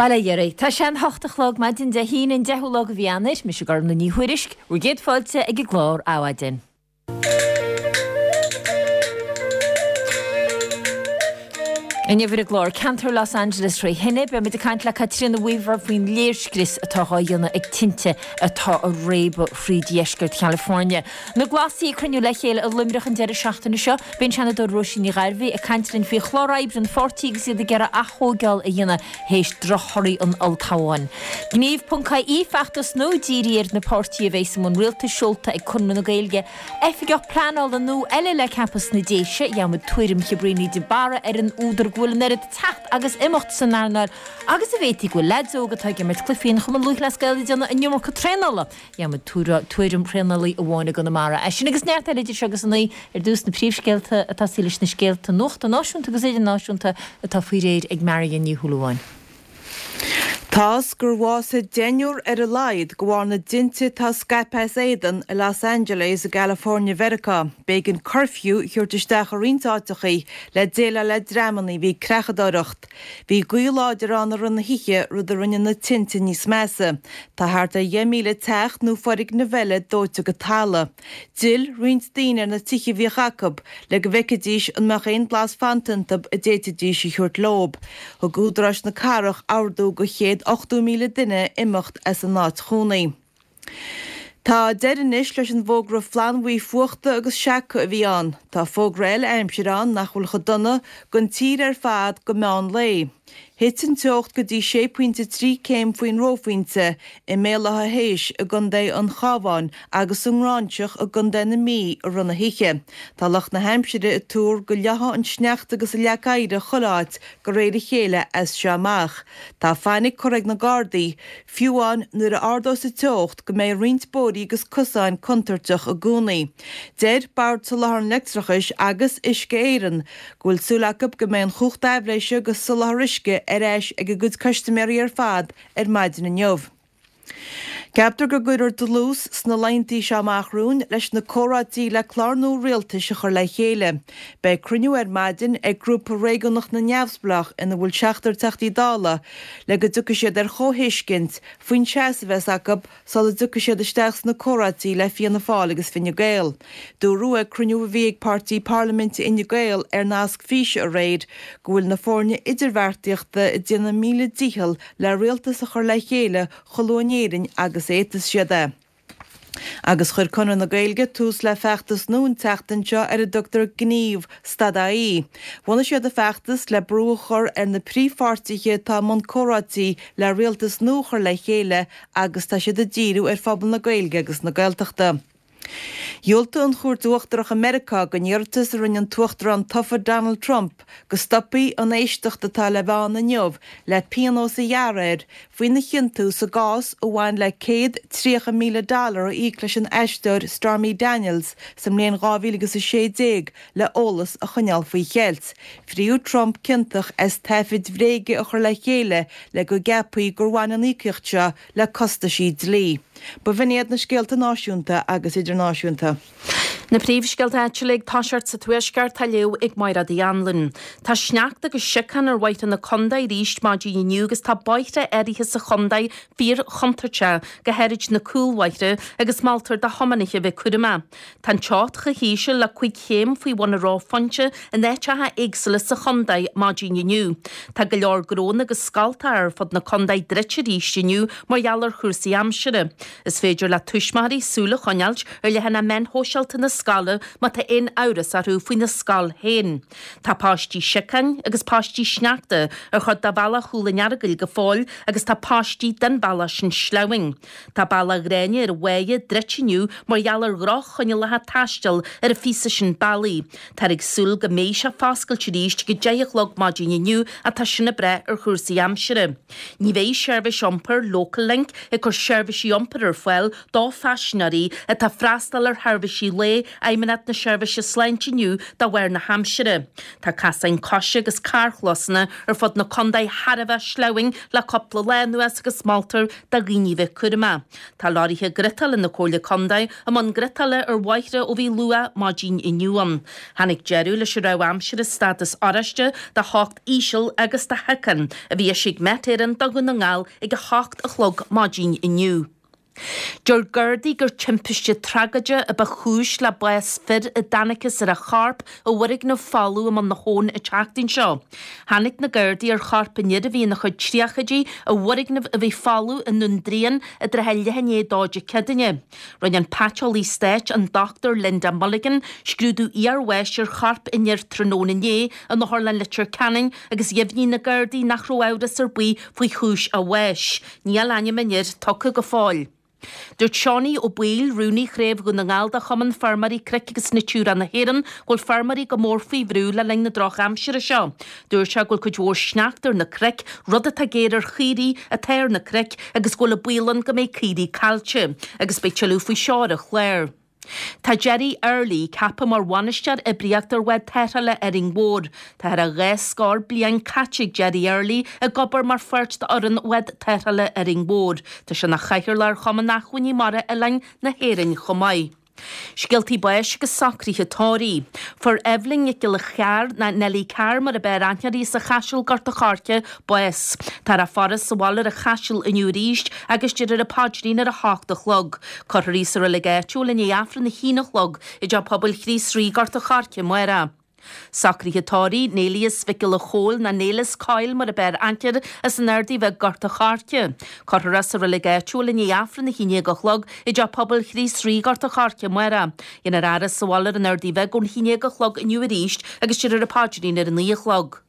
Bail ó Dhia oraibh. Tá sé an hocht a chlog maidin Dé hAoine an 10ú lá de mhí Eanáir. Mise Gormlaith Ní Thuairisg, bhur gcéad fáilte ag an gclár Adhmhaidin. Inniu ar an gclár Ceantar Los Angeles tré thine, beidh muid ag caint le Caitríona Weaver faoin léirscrios atá dhá dhéanamh ag tinte atá ag réabadh thríd dheisceart Chalifornia. Na Glasaigh ag cruinniú le chéile i Luimneach an deireadh seachtaine seo. Beidh an Seanadóir Róisín Ní Ghairbhí ag caint linn faoi chlár oibre an pháirtí agus iad ag iarraidh ath-thóigeáil a dhéanamh théis drochthorthaí an olltoghcháin. Gníomh.ie, feachtas nua dírithe ar na páirtithe a bheidh i mbun rialtais seolta ag Conradh na Gaeilge. Oifigeach pleanála nua eile le ceapadh sna Déise. Gheobhaimid tuairim Chiobríní de Barra ar an údar go bhfuil an oiread teacht agus imeacht san earnáil agus an bhféadfaí go bhfuil leaids óga atá ag imirt cluichí an Chumann Lúthchleas Gael ag déanamh an iomarca traenála. Gheobhaimid tuairim thraenálaí amháin i gConamara. É sin agus neart eile idir seo agus a naoi ar dtús na príomhscéalta atá tosaí leis na scéalta nuachta náisiúnta agus idirnáisiúnta atá faoi réir ag Marion Ní Shúilleabháin. Tá's gur bhásaigh deichniúr ar a laghad de bharr na dtinte atá scaipthe as éadan i Los Angeles i gCalifornia Mheiriceá. B'éigean cuirfiú a thabhairt isteach i roinnt áiteachaí le déileáil le dreamanna a bhí ag creachadóireacht. Bhí gaoth láidir ann i rith na hoíche, rud a rinne na tinte níos measa. Tá thart ar 10,000 teach nó foirgneamh eile dóite go talamh. D'fhill roinnt daoine ar na tithe a bhíodh acu le go bhfeicfidís an mbeadh aon blas fanta iontu a d'fhéadfaidís a thabhairt leob. Thug údaráis na cathrach ordú do 180,000 duine imeacht as a n-áit chónaí. Tá deireadh anois leis an bhfógra flannbhuí fuachta agus seaca a bhí ann. Tá fógra eile aimsire ann nach bhfuil chomh dona don tír ar fad go meán lae. Thit an teocht go dtí sé pointe 3 céim faoin reophointe i mBéal Átha hÉis i gContae an Chabháin agus sa nGráinseach i gContae na Mí i rith na hoíche. Tá lucht na haimsire ag tuar go leáfaidh an sneachta agus an leac oighir chuile áit de réir a chéile as seo amach. Tá fainic curtha ag na Gardaí Fiú amháin nuair a ardós an teocht go mbeidh roinnt bóithrí agus cosáin contúirteach i gcónaí. Deir Bord Soláthair an Leictreachais agus Uisce Éireann go bhfuil súil acu go mbeidh an chumhacht aibhléise agus soláthar uisce ar ais ag a gcuid custaiméirí ar fad ar maidin inniu. Ceaptar go gcuirfear dlús sna laethantaí seo amach romhainn leis na comhráití le clár nua rialtais a chur le chéile. Beidh cruinniú ar maidin ag Grúpa Réigiúnach na Neamhspleách ina bhfuil seachtar Teachtaí Dála le go dtiocfaidh siad ar chomhthuiscint faoin seasamh a bheas acu sula dtiocfaidh siad isteach sna comhráití le Fianna Fáil agus Fine Gael. Dúradh ag cruinniú a bhí ag páirtí parlaiminte Fhine Gael ar nasc físe aréir go bhfuil na foirne idirbheartaíochta ag déanamh a míle dícheall le rialtas a chur le chéile chomh luath in Éirinn agus a fhéadfas siad é. Agus chuir Conradh na Gaeilge tús le feachtas nua an tseachtain seo ar a dtugtar Gníomh, Stad-IE. Bhunaigh siad an feachtas le brú a chur ar na príomhpháirtithe atá i mbun comhráití le rialtas nua a chur le chéile agus tá siad ag díriú ar phobal na Gaeilge agus na Gaeltachta. Dhiúltaigh an Chúirt Uachtarach i Meiriceá don iarratas a rinne an tUachtarán tofa Donald Trump go stopfaí an éisteacht atá le bheith ann inniu le pionós a ghearradh air faoina chiontú sa gcás a bhain le 130,000 dollar a íoc leis an aisteoir Stormy Daniels sa mbliain 2016 le eolas a choinneáil faoi cheilt. Fríodh Trump ciontach as taifid bhréige a chur le chéile le go gceapfaí gur bhain an íocaíocht seo le costaisí dlí. Ba bh'in iad na scéalta náisiúnta agus idirnáisiúnta. Na príomhscéalta áitiúla ag toiseacht sa Tuaisceart á léamh ag Mairéad Uí Anluain. Tá sneachta agus siocán ar bhóithre na contae arís maidin inniu agus tá bóithre áirithe sa chontae fíor-chontúirteach, go háirid na cúlbhóithre, agus moltar do thiománaithe a bheith cúramach. Tá an teocht chomh híseal le 5 chéim faoi bhun an reophointe in áiteacha éagsúla sa chontae maidin inniu. Tá go leor gnónna agus scoltacha ar fud na contae druidte arís inniu mar gheall ar chúrsaí aimsire. Is féidir le tuismitheoirí súil a choinneáilt ar leathanach meáin shóisialta na scoile má tá aon amhras orthu faoina scoil féin. Tá paistí siocáin agus paistí sneachta ar chuid de bhealach Chúil an Earagail go fóill agus tá paistí den bhealach sin sleamhain. Tá Bealach Ghráinne ar an Mháighe druidte inniu mar gheall ar dhroch-choinníollacha taistil ar an phíosa sin bealaigh. Táthar ag súil go mbeidh sé foscailte arís ag 10 a chlog maidin inniu ach tá sin ag brath ar chúrsaí aimsire. Ní bheidh seirbhís iompair Local Link ag cur seirbhísí iompair ar fáil do phaisinéirí atá ag freastal ar sheirbhísí lae. Fheidhmeannacht na Seirbhíse Sláinte inniu de bharr na haimsire. Tá casáin coise agus carrchlósanna ar fud na contae thar a bheith sleamhain le cúpla lá anuas agus moltar do dhaoine bheith cúramach. Tá leoraithe griotála na Comhairle Contae i mbun griotála ar bhóithre ó bhí luath maidin inniu ann. Tháinig deireadh leis an rabhadh aimsire stádas oráiste de theocht íseal agus de shiocán a bhí eisithe ag Met Éireann do Dhún na nGall ag 8 a chlog maidin inniu. Deir Gardaí gur timpiste tragóideach a ba chúis le bás fir a dtángthas ar a chorp i bhfoirgneamh folamh i mbun na hAbhann an tseachtain seo. Tháinig na Gardaí ar chorp an fhir a bhí ina chuid tríochaidí i bhfoirgneamh a bhí folamh i nDún Dríon i dtrátha leath i ndiaidh a dó Dé Céadaoine. Rinne an paiteolaí stáit, an Dr Linda Mulligan, scrúdú iarbháis ar chorp an fhir tráthnóna inné in Otharlann Leitir Ceanainn agus dheimhnigh na Gardaí nach raibh amhras ar bith faoi chúis a bháis. Níl ainm an fhir tugtha go fóill. Dúirt Seánie Ó Baoill, Rúnaí Chraobh Dhún na nGall de Chumann Feirmeoirí Cnoic agus Natura na hÉireann, go bhfuil feirmeoirí go mór faoi bhrú le linn na drochaimsire seo. Dúirt sé go bhfuil cuid mhór sneachta ar na cnoic, rud atá géar ar chaoirigh atá ar na cnoic agus go bhfuil an baol ann go mbeidh caoirigh caillte. Agus beidh tuilleadh faoi seo ar an chlár. Tá Gerry Early ceaptha mar bhainisteoir oibríochta ar bhád tarrthála Árainn Mhór. Tá thar a dha scór bliain caite ag Gerry Early ag obair mar pháirt d'fhoireann bhád tarrthála Árainn Mhór. Tá sé ina chathaoirleach ar Chumann Acmhainní Mara Oileáin na hÉireann chomh maith. Scéaltaí báis agus socruithe tórraimh. Fuair Eibhlín Nic Giolla Chearr, ná Nellie Carr mar ab fhearr aithne uirthi as an Chaiseal, Gort a' Choirce, bás. Táthar á faire sa bhaile ar an Chaiseal inniu arís agus déarfar an paidrín ar a hocht a chlog. Cuirfear í sa reilig áitiúil i ndiaidh Aifreann a haon a chlog i dTeach Pobail Chríost Rí, Gort a' Choirce, amárach. Socruithe tórraimh, Néilias Mhic Giolla Chóill ná Néileas Coyle mar ab fhearr aithne air as an Ardaidh Bheag Gort a' Choirce. Cuirfear é sa reilig áitiúil i ndiaidh Aifreann a haon déag a chlog i dTeach Pobail Chríost Rí, Gort a' Choirce, amárach. Déanfar a fhaire sa bhaile ar an Ardaidh Bheag ón haon déag a chlog inniu arís agus déarfar an paidrín ar a naoi a chlog.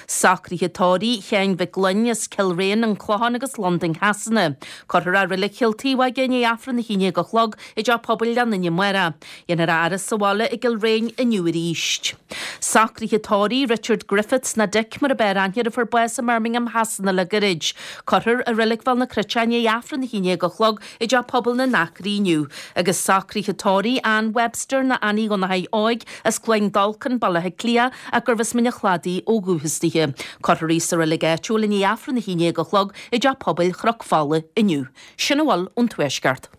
Socruithe tórraimh Sheáin Mhic Gloinn as Cill Réan, An Clochán agus Londain Shasana. Cuirfear é i Reilig Chill Taobhóige i ndiaidh Aifreann a haon déag a chlog i dTeach Pobail Ghleann Fhinne amárach. Dhéanfar a fhaire sa bhaile i gCill Réin inniu arís. Socruithe tórraimh Richard Griffiths ná Dick mar ab fhearr aithne air a fuair bás i mBirmingham Shasana le gairid. Cuirfear i Reilig Bhéal na Cruite é i ndiaidh Aifreann a haon déag a chlog i dTeach Pobail na nAcraí inniu agus socruithe tórraimh Ann Webster ná Annie Dhonnchaidh Óig as Cluain Dolcáin, Baile Átha Cliath, ach gurbh as Mín an Chladaigh ó dhúchas dithe. Cuirfear í sa reilig áitiúil i ndiaidh Aifreann a haon déag a chlog i dTeach Pobail Chnoc Fola inniu. Sin a bhfuil ón Tuaisceart.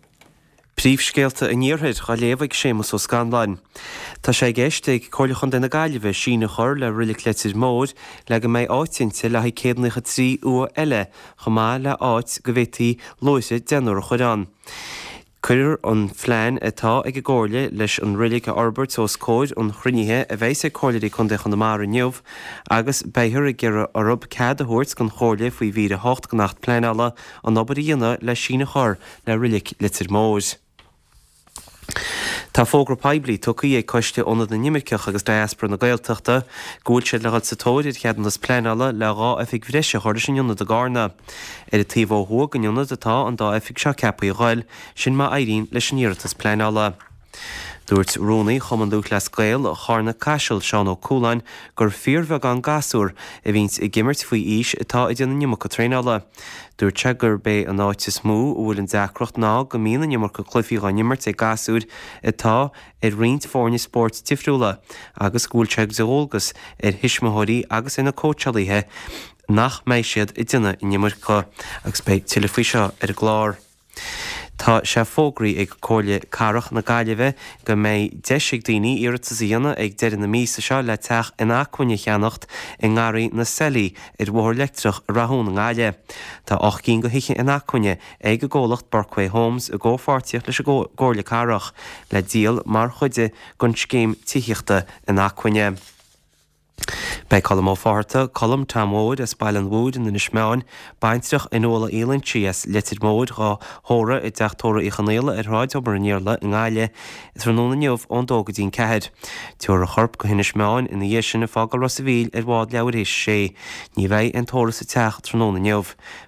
Príomhscéalta an Iarthair á léamh ag Séamus Ó Scanláin. Tá sé i gceist ag Comhairle Chontae na Gaillimhe síneadh a chur le Reilig Leitir Móir le go mbeidh áit inti le haghaidh 193 uaigh eile chomh maith le áit go bhféadfaí luaithre deichniúr a chur ann. Cuirfear an phlean atá ag an gComhairle leis an reilig a fhorbairt os comhair an chruinnithe a bheas ag Comhairleoirí Contae Chonamara inniu agus beifear ag iarraidh orthu cead a thabhairt don Chomhairle faoi mhír 8 den Acht Pleanála an obair a dhéanamh le síneadh a chur le Reilig Leitir Móir. Tá fógra poiblí tugtha ag Coiste Ionad na nImirceach agus Diaspora na Gaeltachta go bhfuil siad le dhul sa tóir ar cheadúnas pleanála le 2 oifig bhreise a chur leis an ionad i gCarna. Ar an taobh ó thuaidh den ionad atá an dá oifig seo ceaptha a ghoil, sin má éiríonn leis an iarratas pleanála. Dúirt Rúnaí Chumann Lúthchleas Gael Charna Caiseal, Seán Ó Cualáin, gur fíorbheagán gasúr a bhíonns ag imirt faoi aois atá ag déanamh an iomarca traenála. Dúirt sé gurb é an áit is mó a bhfuil an deacracht ná go mbíonn an iomarca cluichí dhá n-imirt ag gasúir atá ar roinnt foirne spóirt difriúla agus go bhfuil sé de dhualgas ar thuismitheoirí agus ar na cóitseálaithe nach mbeidh siad ag déanamh an iomarca agus beidh tuilleadh faoi seo ar an gclár. Tá sé fógraithe ag Comhairle Cathrach na Gaillimhe go mbeidh deis ag daoine iarratas a dhéanamh ag deireadh na míosa seo le teach inacmhainne a cheannacht i nGarraí na Seilí ar Bhóthar Leictreach i Rath Eoin i nGaillimh. Tá 8 gcinn de thithe inacmhainne ag an gcomhlacht Burkway Homes i gcomhpháirtíocht leis an gComhairle Cathrach le díol mar chuid den scéim tithíochta inacmhainne. Beidh Colm Ó Fátharta, Colm Tom Mhóir as Baile an Mhúir in Inis Meáin, baintreach Fhionnuala Uí Loinsigh as Leitir Móir, dhá thórramh i dTeach Tórraimh Uí Chonaola ar Shráid Thobar an Iarla i nGaillimh tráthnóna inniu ón dó go dtí an ceathair. Tabharfar a chorp go hInis Meáin ina dhiaidh sin ag fágáil Ros a' Mhíl ar bhád leathuair théis a sé. Ní bheidh aon tórramh sa teach tráthnóna inniu.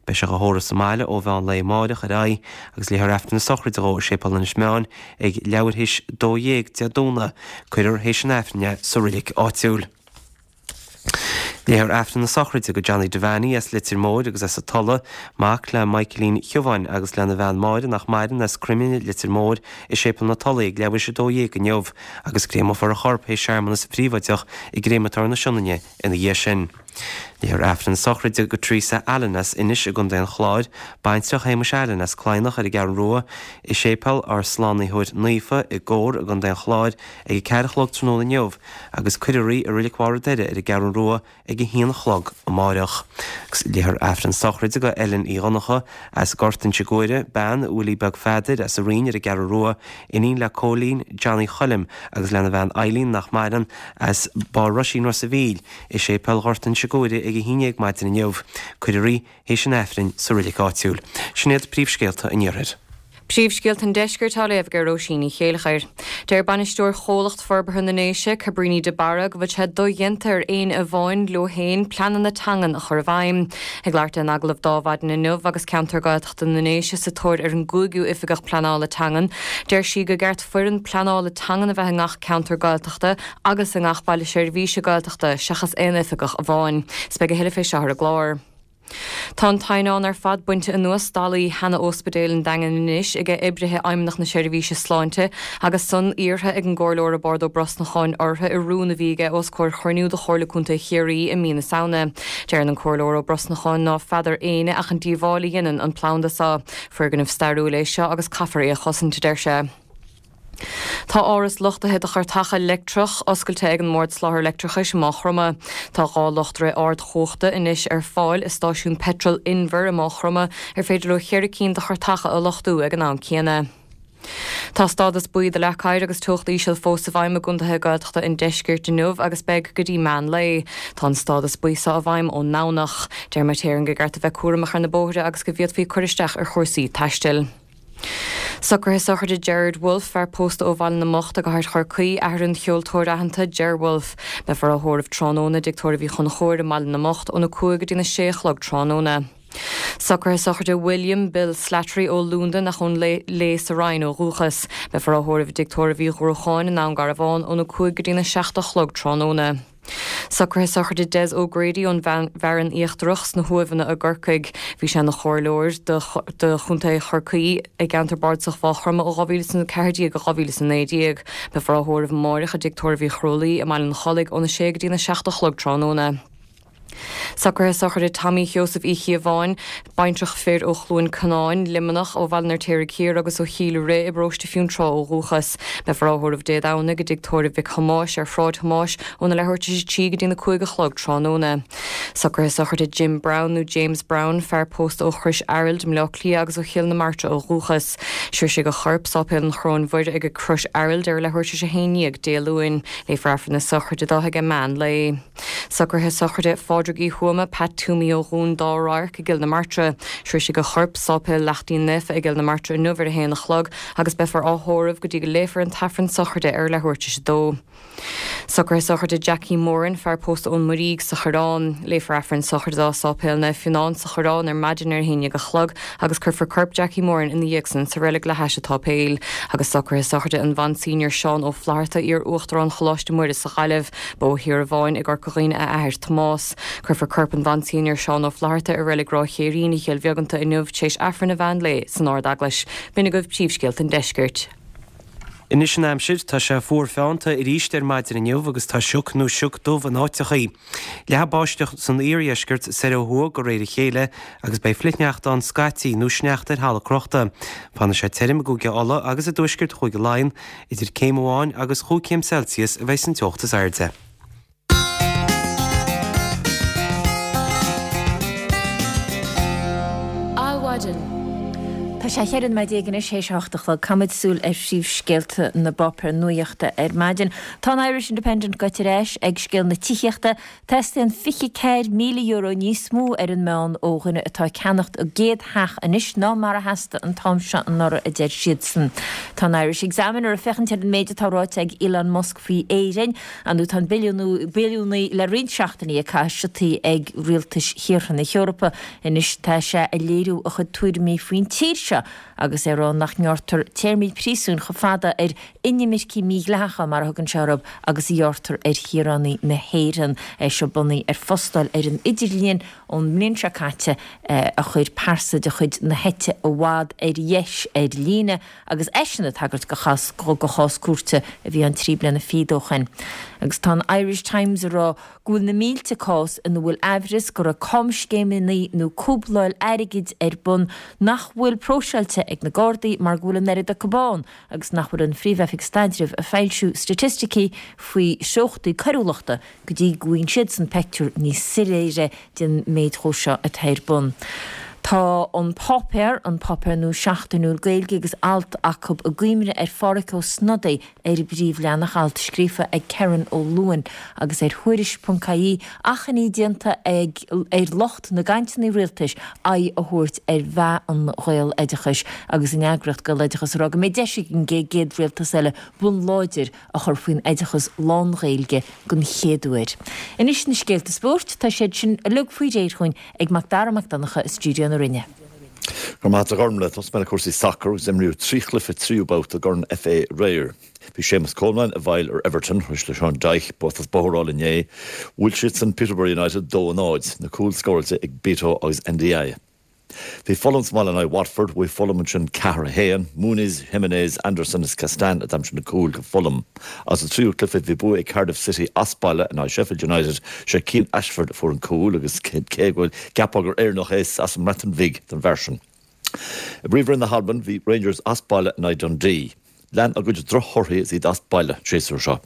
Beidh sé dhá thórramh sa mbaile ó mheán lae amáireach ar aghaidh agus léifear Aifreann na sochraide dhó i Séipéal Inis Meáin Ag leathuair théis 12 Dé Domhnaigh, cuirfear théis an Aifrinn é sa roilig áitiúil. Léifear Aifreann na sochraide do Johnny Devaney as Leitir Móir agus as an Tulaigh, mac le Michaelín Shiobháin agus lena bhean Máire nach maireann as Croimine, Leitir Móir, i Séipéal na Tulaí ag leathuair théis 12 inniu agus créamófar a chorp théis searmanas phríobháideach i gCréamatóir na Sionainne ina dhiaidh sin. Léifear Aifreann na sochraide do Teresa Allen as Inis i gContae an Chláir, baintreach Shéamuis Allen as Cladhnach ar an gCeathrú Rua, i Séipéal ár Slánaitheoir Naofa i gCór i gContae an Chláir ag 4 a chlog tráthnóna inniu agus cuirfear í i Reilig Bharr an Doire ar an gCeathrú Rua ag a haon a chlog amáireach. Agus léifear Aifreann sochraide do Ellen Uí Dhonncha as Gort Inse Guaire, bean Willie Beag Pheadair as an Rinn ar an gCeathrú Rua, iníon le Cóilín Johnny Choilm agus lena bhean Eileen nach maireann, as Barr Roisín Ros a' Mhíl, i Séipéal Ghort Inse Guaire ag a haon dhéag maidin inniu. Cuirfear í théis an Aifrinn sa reilig áitiúil. Sin iad príomhscéalta an Iarthair. Príomhscéalta an Deiscirt á léamh ag Róisín Ní Chéilleachair. Deir bainisteoir Chomhlacht Forbartha na nDéise, Cabríní de Barra, go bhfuil sé dodhéanta ar éinne amháin leo féin pleananna teangan a chur i bhfeidhm. Ag labhairt di in agallamh d'Adhmhaidin inniu agus ceantar Gaeltachta na nDéise sa tóir ar an gcúigiú Oifigeach Pleanála Teangan, deir sí gur ceart foireann pleanála teangan a bheith i ngach ceantar Gaeltachta agus i ngach baile seirbhíse Gaeltachta seachas aon oifigeach amháin. 'S beidh a thuilleadh fé seo ar an gclár. Tá an t-eidhneán ar fad bainte anuas dallaí sheana-Óspidéal an Daingin anois ag oibrithe Fheidhmeannacht na Seirbhíse Sláinte agus san iarrtha ag an gComhairleoir Roibeárd Ó Brosnacháin orthu i rún a bhí aige os comhair chruinniú de Chomhairle Contae Chiarraí i mí na Samhna. Deireann an Comhairleoir Ó Brosnacháin ná feadar éinne ach an díobháil a dhéanann an planda seo. Foirgneamh stairiúil é seo agus caithfear é a chosaint, a deir sé. Tá áras luchtaithe do chairteacha leictreach oscailte ag an mBord Soláthair Leictreachais i Maigh Chromtha. Tá 2 luchtaire ardchumhachta anois ar fáil i stáisiún peitril Inver i Maigh Chromtha ar féidir leo cheithre cinn de chairteacha a luchtú ag an am céanna. Tá stádas buí do leac oighir agus teocht íseal fós i bhfeidhm i gcontaetha Gaeltachta an deiscirt inniu agus beidh go dtí meán lae. Tá an stádas buí seo i bhfeidhm ón nDomhnach. Deir Met Éireann gur ceart a bheith cúramach ar na bóithre agus go bhféadfaí cur isteach ar chúrsaí taistil. Socruithe sochraide Gerard Wolfe, fear pósta ó Bhaile na mBocht i gcathair Chorcaí, athair an cheoltóir aitheanta Ger Wolfe. Beifear á thórramh tráthnóna i dTigh Tórraimh Uí Chonchúir i mBaile na mBocht óna 5 go dtína 6 a chlog tráthnóna. Socruithe sochraide William Bill Slattery ó Londain ach ón Léith sa Rinn ó dhúchas. Beifear á thórramh i dTigh Tórraimh Uí Ghruacháin i nDún Garbhán óna 5 go dtína 7 a chlog tráthnóna. Socruithe sochraide Des O'Grady ón bhFearann Íochtarach sna hUaimheanna i gCorcaigh. Bhí sé ina chomhairleoir do Chontae Chorcaí i gceantar bardasach Mhaigh Chromtha ó 2014 go 2019. Beifear á thórramh amáireach i dTigh Tórraimh Uí Chrualaoi i mBaile an Chollaigh óna 6 go dtína 7 a chlog tráthnóna. Socruithe sochraide Tommy Sheosaimh Uí Chíobháin, baintreach fir ó Chluain Canáin, Luimneach, ó Bhaile an Fheirtéaraigh Thiar agus ó Chill Rith i bparóiste Fionntrá ó dhúchas. Beifear á thórramh Dé Domhnaigh i dTigh Tórraimh Mhic Thomáis ar Shráid Thomáis óna leathuair tar éis a 3 go dtína 5 a chlog tráthnóna. Socruithe sochraide Jim Browne nó James Browne, fear pósta ó Chrois Araild i mBleá Cliath agus ó Chill na Martra ó dhúchas. Sroisfidh a chorp Sáipéal an Choróin Mhuire ag Crois Araild ar a leathuair tar éis a 11 Dé Luain. Léifear Aifreann na sochraide dó ag meán lae. Socruithe sochraide Phádraig Uí Thuama, Pat Toomey ó Dhún Dá Radharc i gCill na Martra. Sroisfidh a chorp Sáipéal Lachtaín Naofa i gCill na Martra inniu ar a haon a chlog agus beifear á thórramh go dtí go léifear an tAifreann sochraide ar leathuair tar éis a dó. Socruithe sochraide Jackie Moran, fear pósta ón Muirígh sa Choireán. Léifear Aifreann sochraide dó i Sáipéal Naomh Fionán sa Choireán ar maidin ar a haon dhéag a chlog agus cuirfear corp Jackie Moran ina dhiaidh san sa reilig le hais an tsáipéil. Agus socruithe sochraide an Mhonsenior Seán Ó Flatharta, iar-Uachtarán Choláiste Muire sa Ghaillimh. Ba ó Thír an Bháin i gCorca Dhuibhne a athair Tomás. Cuirfear corp an Mhonsenior Seán Ó Flatharta i Reilig Ráth Chéirín i gCill Bheaganta inniu tar éis Aifreann an mheán lae san Ard-Eaglais. B'in agaibh príomhscéalta an deiscirt. Anois an aimsir, tá sé fuar feannta arís ar maidin inniu agus tá sioc nó sioc dubh in áiteachaí. Leathfaidh báisteach san iardheisceart soir ó thuaidh de réir a chéile agus beidh flichshneachta ann scaití nó sneachta ar thalamh crochta. Fanfaidh sé tirim i gCúige Uladh agus i dtuaisceart Chúige Laighean, Idir céim amháin agus chúig chéim Celsius a bheidh san teocht is airde. Adhmhaidin. Tá sé 14 nóiméad anois théis a hocht a chlog. Caithfimid súil ar phríomhscéalta na bpáipéar nuachta ar maidin. Tá an Irish Independent gaibhte ar ais ag scéal na tithíochta. Teastaíonn €24,000 níos mó ar an meán ó dhuine atá ag ceannacht a gcéad theach anois ná mar a theastaigh an t-am seo anuraidh, a deir siadsan. Tá an Irish Examiner ag féachaint ar an méid atá ráite ag Elon Musk faoi Éirinn. Ar ndóigh tá an billiúnaí le roinnt seachtainí ag caitheamh siotaí ag rialtais thíortha na hEorpa. Anois tá sé ag léiriú a chuid tuairimí faoin tír seo. seo agus é ag rá nach ngearrtar téarmaí príosúin chomh fada ar inimircigh mídhleathacha, mar a thugann sé orthu, agus a ghearrtar ar shaoránaigh na hÉireann. É seo bunaithe ar phostáil ar an idirlíon ón mbliain seo caite a chuir pearsa de chuid na heite i bhfad ar dheis ar líne agus eisean ag tagairt do chás cúirte a bhí ann 3 bliana fichead ó shin. Agus tá an Irish Times ag rá go bhfuil na mílte cás ina bhfuil aimhreas go raibh camscéimeanna nó cúbláil airgid ar bun nach bhfuil próiseáilte ag na Gardaí mar go bhfuil an oiread acu ann agus nach bhfuil an Phríomh-Oifig Staidrimh ag foilsiú staitisticí faoi threochtaí coiriúlachta go dtí go bhfaigheann siadsan peictiúr níos soiléire den méid dhó seo atá ar bun. Tá An Páipéar, an páipéar nua seachtainiúil Gaeilge agus alt acu i gcuimhne ar Phádhraic Ó Snodaigh ar an bpríomhleathanach, alt scríofa ag Kerron Ó Luain agus ar Thuairisc.ie, achainí déanta ag ar lucht na gcainteanna rialtais aghaidh a thabhairt ar mheath an Ghaeloideachais agus an eagraíocht Gaeloideachas ag rá go mbeidh deis ag an gcéad rialtas eile bonn láidir a chur faoin oideachas lán-Ghaeilge den chéad uair. Anois na scéalta spóirt, tá siad sin uilig faoi réir chugainn ag Mac Dara Mac Donncha i stiúideo na Rinne. Go raibh maith agat a Ghormlaith. Tosóidh mé le cúrsaí sacair agus imríodh 3 chluiche tríú babhta i gCorn FA aréir. Bhí Séamus Coleman i bhfeighil ar Everton, tar éis do Sean Dyche bua as bóthar a fháil inné. Bhuail siadsan Peterborough United 2-0, na cúil scóráilte ag Beto agus Ndiaye. Bhí Fulham sa mbaile in aghaidh Watford, bhuaigh Fulham ansin 4, 1. Muniz, Jimenez, Anderson is Castan a d'aimsigh na cúil do Fulham. Agus sa tríú cluiche bhí bua ag Cardiff City as baile in aghaidh Sheffield United, sé Cian Ashford a fuair an cúl agus cé go bhfuil gceapfá gur Éireannach é is as an mBreatain Bhig don bhfear sin. I bPríomhroinn na hAlban bhí Rangers as baile in aghaidh Dundee. Lean a gcuid drochthorthaí is iad as baile an séasúr seo.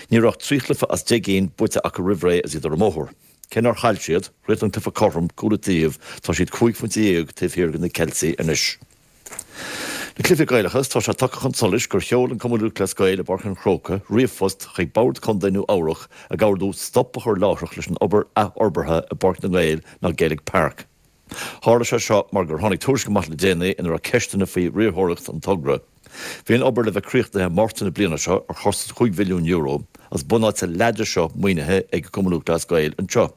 Ní raibh ach 3 chluiche as 10 gcinn buaite acu roimh ré is iad ar an mbóthar. Cé nár chaill siad, chríochnaigh an cluiche cothrom, cúl an taobh, tá siad 15 phointe taobh thiar de na Ceiltigh anois. Na cluichí Gaelacha, tá sé tagtha chun solais gur sheol an Cumann Lúthchleas Gael i bPáirc an Chrócaigh ríomhphost chuig Bord Contae Nua Eabhrac ag ordú stop a chur láithreach leis an obair athfhorbartha i bPáirc na nGael ná Gaelic Park. Tharla sé seo mar gur tháinig tuairisc amach le déanaí ina raibh ceisteanna faoi riarthóireacht an togra. Bhí an obair le bheith críochnaithe Márta na bliana seo ar chostas €5 mhilliún agus bunáite leath de seo maoinithe ag an Cumann Lúthchleas Gael anseo.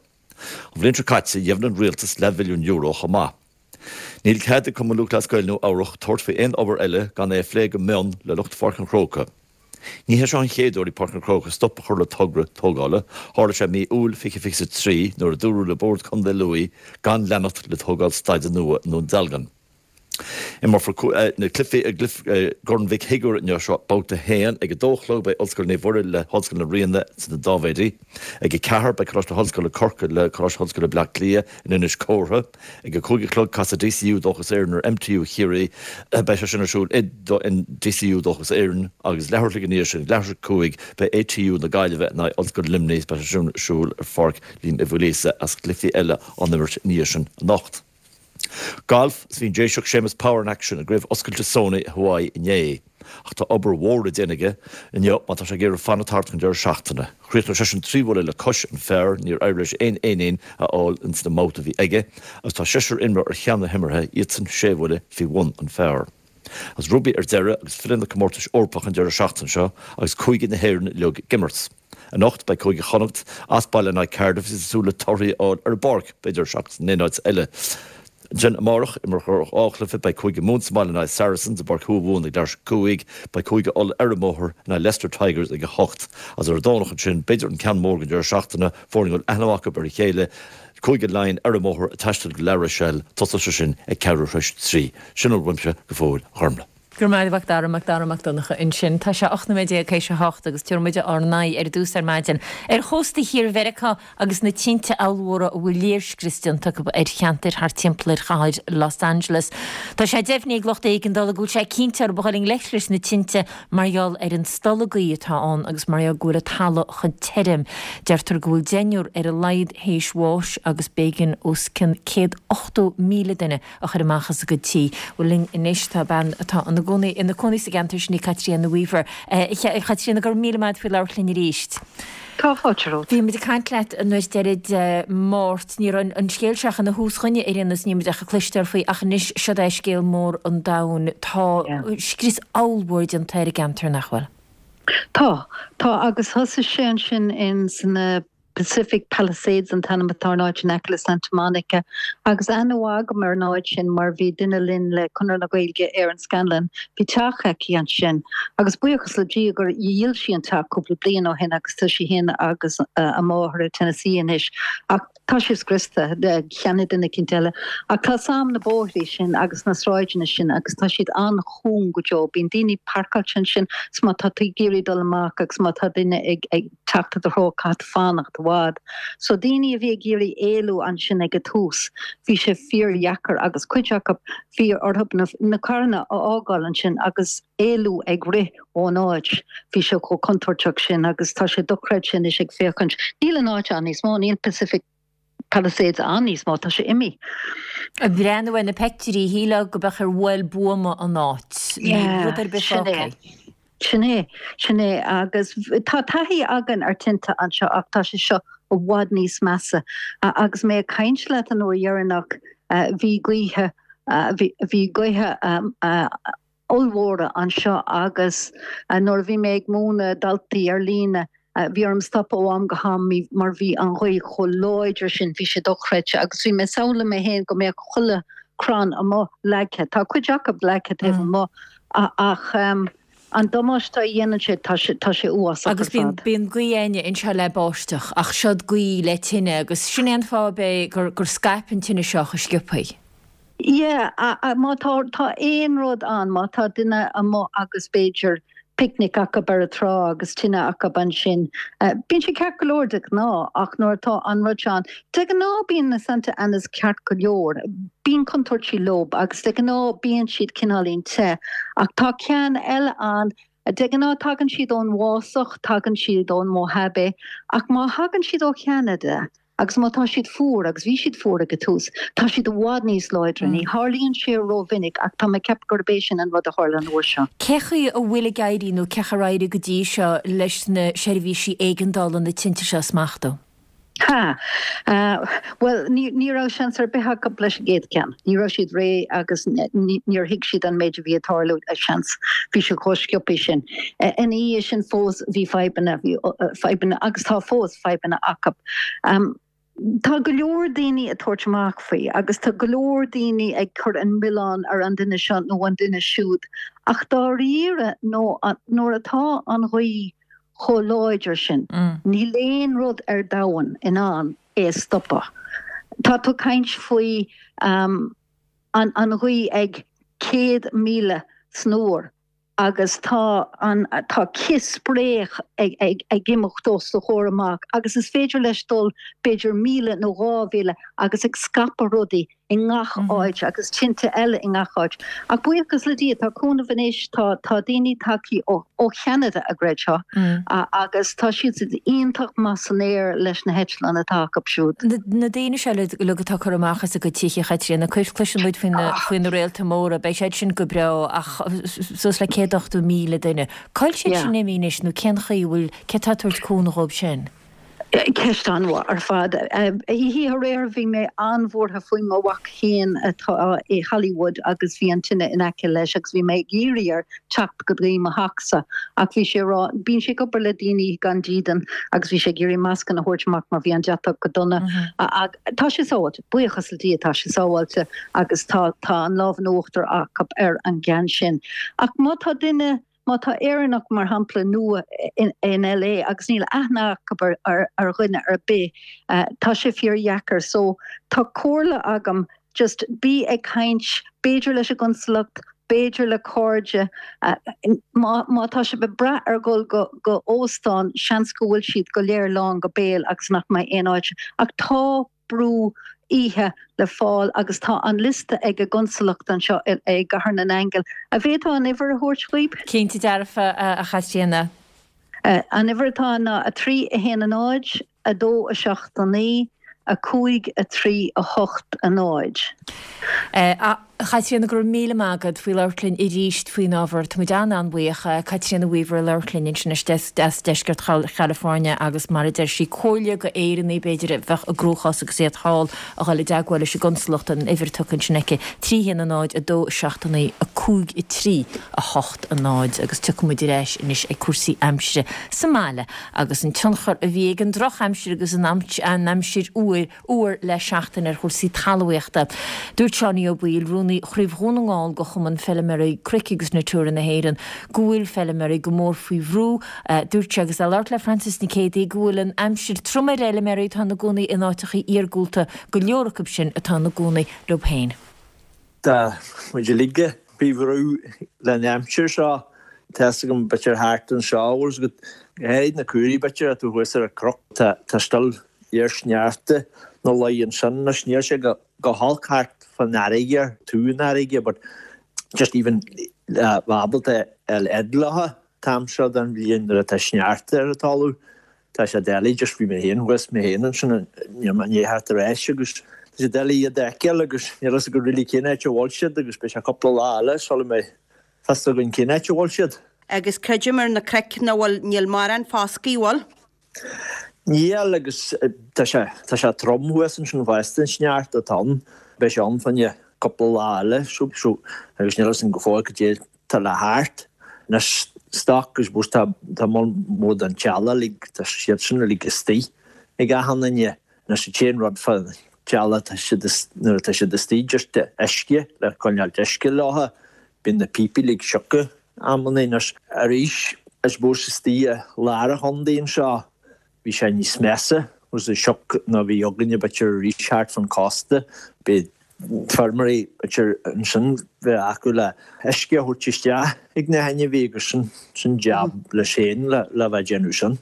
An bhliain seo caite dheimhnigh an rialtas leathmhilliún euro chomh maith. Níl cead ag Cumann Lúthchleas Gael Nua Eabhrach tabhairt faoi aon obair eile gan é a phlé go mion le lucht Pháirc an Chrócaigh. Ní hé seo an chéad uair ag Páirc an Chrócaigh stop a chur le togra tógála. Tharla sé mí Iúil 2023 nuair a dúradh le Bord Contae Lú gan leanacht le tógáil staide nua i nDún Dealgan. Imreofar na cluichí i gCorn Mhic Shigiúir inniu, seo babhta 1. Ag 2 a chlog beidh Ollscoil Naomh Mhuire le hOllscoil na Ríona sna Dáibhéidí. Ag 4 beidh Coláiste na hOllscoile Corcaigh le Coláiste Ollscoile Bleá Cliath in Inis Córthaidh. Ag 5 a chlog casfaidh DCU Dóchas Éireann ar MTU Chiarraí. Beidh sé sin ar siúl i DCU Dóchas Éireann agus leathuair a chloig ina dhiaidh sin, ag leathuair tar éis 5, beidh ATU na Gaillimhe in aghaidh Ollscoil Luimnigh. Beidh sé sin ar siúl ar Pháirc Liam Uí Mhaoilíosa agus cluichí eile á n-imirt ina dhiaidh sin anocht. Galf, Bhí an Déiseach Séamus Power in aicsean i gCraobh Oscailte Sony i Hawaii inné. Ach tá obair mhór le déanamh aige inniu má tá sé ag iarraidh fanacht thart chun deireadh seachtaine. Chríochnaigh seisean 3 bhuille le cois an phar, níor éirigh leis aon éinín a fháil ins na mbabhta a bhí aige, agus tá seisear imreoir ar cheann na himeartha, iadsan sé bhuille faoi bhun an phar. Agus rugbaí ar deireadh agus filleadh na comórtais Eorpacha an deireadh seachtaine seo agus cúigí na hÉireann uilig ag imirt. Anocht beidh Cúige Chonnacht as baile in aghaidh Cardiff is iad ag súil le torthaí a fháil ar an bpáirc, b'fhéidir, seachas in aon áit eile. Ansin amárach, imreofar 2 chluiche, beidh Cúige Mumhan sa mbaile in aghaidh Saracens i bPáirc Thuamhumhan ag leathuair tar éis 5, beidh Cúige Uladh ar an mbóthar in aghaidh Leicester Tigers ag 8. Agus ar an Domhnach ansin, b'fhéidir an ceann mór den deireadh seachtaine, foirne a bhfuil aithne acu ar a chéile, Cúige Laighean ar an mbóthar ag taisteal go La Rochelle, tosóidh sé sin ag ceathrú tar éis 3. Sin a bhfuil uaimse go fóill, a Ghormlaith. Go raibh maith agat, Dara, Mac Dara Mac Donncha ansin. Tá sé 18 nóiméad théis a hocht agus tabharfaidh muid ár n-aghaidh ar dtús ar maidin ar chósta thiar Mheiriceá agus na tinte ollmhóra a bhfuil léirscrios déanta acu ar cheantair thart timpeall ar chathair Los Angeles. Tá sé deimhnithe ag lucht éigeandála go bhfuil sé cinnte orthu a dhul i ngleic leis na tinte mar gheall ar an stolladh gaoithe atá ann agus mar gheall go bhfuil an talamh chomh tirim. Deirtear go bhfuil deichniúr ar a laghad théis bháis agus b'éigean os cionn 180,000 duine a chur amach as a gcuid tí. Bhuel linn anois tá bean atá ina gcónaí ina cónaí sa gceantar sin í Caitríona Weaver. A Chaitríona, go raibh míle maith agat faoi labhairt linn arís. Tá fáilte romhat. Bhí muid ag caint leat an uair deiridh Dé Máirt. Ní raibh an scéal seo ach ina thús dhúinne ar aon nós, ní raibh muid ach ag cloisteáil faoi ach anois seod é scéal mór an domhain. Tá scrios ollmhór déanta ar an gceantar, nach bhfuil? Tá. Tá agus thosaigh sé ansin in sna. Pacific Palisades an t-ainm atá ar an áit in aice le Santa Monica agus aithne mhaith agam ar an áit sin mar bhí duine linn le Conradh na Gaeilge, Erin Scanlon, bhí teach aici ansin agus buíochas le Dia gur dhíol sí an teach cúpla bliain ó shin agus tá sí féin agus a máthair i Tennessee anois ach tá sé scriosta, cheannaigh duine eicínt eile. Ach tá 's a'm na bóithrí sin agus na sráideanna sin agus tá siad an-chúng go deo, bíonn daoine parcáilte ansin 's má tá tú ag iarraidh dul amach agus má tá duine ag ag. teacht i do threo caithfidh tú fanacht i bhfad. So daoine a bhí ag iarraidh éalú ansin ag an tús, bhí sé fíordheacair agus cuid acu, bhí orthu na, na carranna a fhágáil ansin agus éalú ag rith ón áit, bhí sé chomh contúirteach sin agus tá sé dochreidte anois ag féachaint, níl an áit ann níos mó, níl Pacific Palisades ann níos mó, tá sé imithe. Ag breathnú ar na peictiúirí, shílfeá go mbeadh ar bhuail buama an áit. Níl rud ar bith Sin é. fágtha. Sin é. Sin é. Agus tá taithí againn ar tinte anseo ach tá sé seo i bhfad níos measa. Agus mé ag caint leat an uair dheireanach, bhí gaoithe, bhí gaotha ollmhóra anseo agus nuair a bhí mé ag múineadh daltaí ar líne, bhí orm stopadh ó am go ham mar bhí an ghaoth chomh láidir sin, bhí sé dochreidte agus bhí mé ag samhlú mé féin go mbeadh chuile crann amuigh leagtha. Tá cuid acu leagtha taobh amuigh ach an damáiste a dhéanann sé, tá sé, tá sé uafásach ar Agus bíonn, fad. bíonn gaoth againne anseo le báisteach ach seod gaoth le tine agus sin é an fáth ab é gur, gur scaip an tine seo chomh sciobthaí. Yeah, má tá, tá aon rud ann, má tá duine amuigh agus b'fhéidir picnic acu ar an trá agus tine acu ansin, bíonn sé ceart go leor de ghnáth ach nuair atá an rud seo ann, de ghnáth bíonn na Santa Anas ceart go leor, bíonn contúirtí leo agus de ghnáth bíonn siad cineáilín te ach tá ceann eile ann, de ghnáth tagann siad ón bhfásach, tagann siad ón Mojave ach má thagann siad ó Cheanada, Agus má tá siad fuar, agus bhí siad fuar ag an tús, tá siad i bhfad níos láidre. Ní tharlaíonn sé rómhinic ach tá mé ag ceapadh gurb é sin an rud a tharla an uair seo. Cé chaoi a bhfuil ag éirí nó cé chaoi ar éirigh go dtí seo leis na seirbhísí éigeandála na tinte seo a smachtú? Ha! Bhuel, ní raibh seans ar bith acu leis an gcéad cheann. Ní raibh siad réidh agus níor thuig siad an méid a bhí ag tarlú, seans. Bhí sé chomh sciobtha sin. Ina dhiaidh sin fós bhí fadhbanna, bhí fadhbanna agus tá fós fadhbanna acu. Tá go leor daoine ag tabhairt amach faoi agus tá go leor daoine ag cur an milleán ar an duine seo nó an duine siúd ach dáiríre nó nuair atá an ghaoth chomh láidir sin níl aon rud ar domhan in ann é a stopadh. Tá tú ag caint faoi an ghaoth ag 100 míle san uair. agus tá an tá cith spréach ag ag ag imeacht os do chomhair amach agus is féidir leis dul b'fhéidir míle nó 2000 agus ag scaipeadh rudaí i ngach áit agus tinte eile i ngach áit. Ach buíochas le Dia tá cúnamh anois, tá tá daoine tagthaí ó ó Cheanada a gcreidfeá agus tá siad iontach maith san aer leis na heitleáin atá acu siúd. Na daoine seo uilig atá curtha amach as a gcuid tithe, a Chaitríona, cloiseann muid faoi na faoi na réalta móra, beidh siad sin go breá ach suas le 180,000 duine. Cá bhfuil siad sin imithe anois nó cén chaoi a bhfuil, cé atá ag tabhairt cúnamh dhóibh sin? Ceist an-mhaith ar fad. Oíche aréir bhí mé an-bhuartha faoi mo mhac féin atá i Hollywood agus bhí an tine in aice leis agus bhí mé ag iarraidh air teacht go dtí mo theachsa ach bhí sé ag rá, bíonn sé ag obair le daoine gan dídean agus bhí sé ag iarraidh mascanna a thabhairt amach mar bhí an deatach go dona. Ach tá sé sábháilte, buíochas le Dia tá sé sábháilte agus tá tá an lámh in uachtar acu ar an gceann sin. Ach má tá duine Má tá Éireannach, mar shampla, nua in LA agus níl aithne acu ar dhuine ar bith, tá sé fíordheacair. So, tá comhairle agam, just bí ag caint, b'fhéidir leis an gconsalacht, b'fhéidir le cairde. Má má tá sibh ag brath ar dhul go go óstán, seans go bhfuil siad go léir lán go béal agus nach mbeidh aon áit. Ach tá brú oíche le fáil agus tá an liosta ag an gConsalacht anseo i gCathair na nAingeal. An bhféadfá an uimhir a thabhairt dhaoib? Cinnte dearfa, a Chaitríona. An uimhir atá ann ná 3 1 0, 2 7 9, 5 3 8 0. A Chaitríona, go raibh míle maith agat faoi labhairt linn arís faoin ábhar. Tá muid an-an-bhuíoch. Caitríona Weaver ag labhairt linn ansin as deisceart Chalifornia agus mar a deir sí, comhairle go Éireannaigh b'fhéidir a bheadh i gcruachás agus iad thall a dhul i dteagmháil leis an gconsalacht, an uimhir tugtha ansin aici, 3 1 0 2 7 9 5 3 8 0 agus tiocfaidh muid ar ais anois ag cúrsaí aimsire sa mbaile agus an tionchar a bhí ag an drochaimsir agus an aimsir fhuar fhuar le seachtain ar chúrsaí talmhaíochta. Dúirt Seánie Ó Baoill, Rúnaí Chraobh Dhún na nGall de Chumann Feilméaraí Cnoic agus Natura na hÉireann, go bhfuil feilméaraí go mór faoi bhrú. Dúirt sé agus é ag labhairt le Frances Nic Géadaigh go bhfuil an aimsir trom ar fheilméaraí atá ina gcónaí in áiteachaí iargúlta, go leor acu sin atá ina gcónaí leo féin. Tá muid uilig faoi bhrú leis an aimsir seo. Tá's agam b'fhéidir thart anseo, bhfuil 's agat, go háirid na caoirigh b'fhéidir atá thuas ar an chnoc, tá still iar-sneachta ina luí ansin anois. Níl sé go holc thart fán fharraige, taobh an fharraige but just even bheith ábalta a fháil fhad leo an t-am seo den bhliain nuair atá sneachta ar an talamh. Tá sé doiligh, just bhí mé féin thuas mé féin ansin, níl mé i ndiaidh theacht ar ais agus tá sé doiligh iad a fheiceáil agus níl fhios agat really cén áit a bhfuil siad agus beidh sé cúpla lá eile sula mbeidh fios againn cén áit a bhfuil siad. Agus creidim ar na cnoic nach bhfuil, níl mórán foscaidh, bhfuil? Níl agus tá sé, tá sé trom thuas ansin fosta an sneachta atá ann, beidh sé ann fá choinne cúpla lá eile so, so agus níl fhios againn go fóill cad é tá le theacht. Anois stoc I suppose tá tá moll mór den teallach uilig, tá siad sin uilig istigh ag achan duine. Anois an t-aon rud fá teallach tá siad nuair atá siad istigh just uisce le coinneáilt uisce leo, bíonn na píopaí uilig sioctha amannaí. Anois arís I suppose istigh i lár an chontae anseo bhí sé níos measa was an sioc ná bhí againne b'fhéidir arís thart fán cósta. Bhí feirmeoirí b'fhéidir ansin bheith acu le uisce a thabhairt isteach ag na hainmhí agus sin sin jab leis féin le le bheith ag déanamh sin.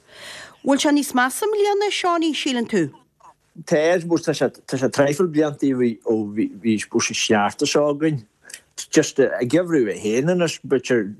Bhfuil sé níos measa i mbliana, Seánie, síleann tú? Tá, I suppose tá sé tá sé traidhfil blianta ó bhí bhí I suppose an sneachta seo againn. Just an geimhreadh é féin anois b'fhéidir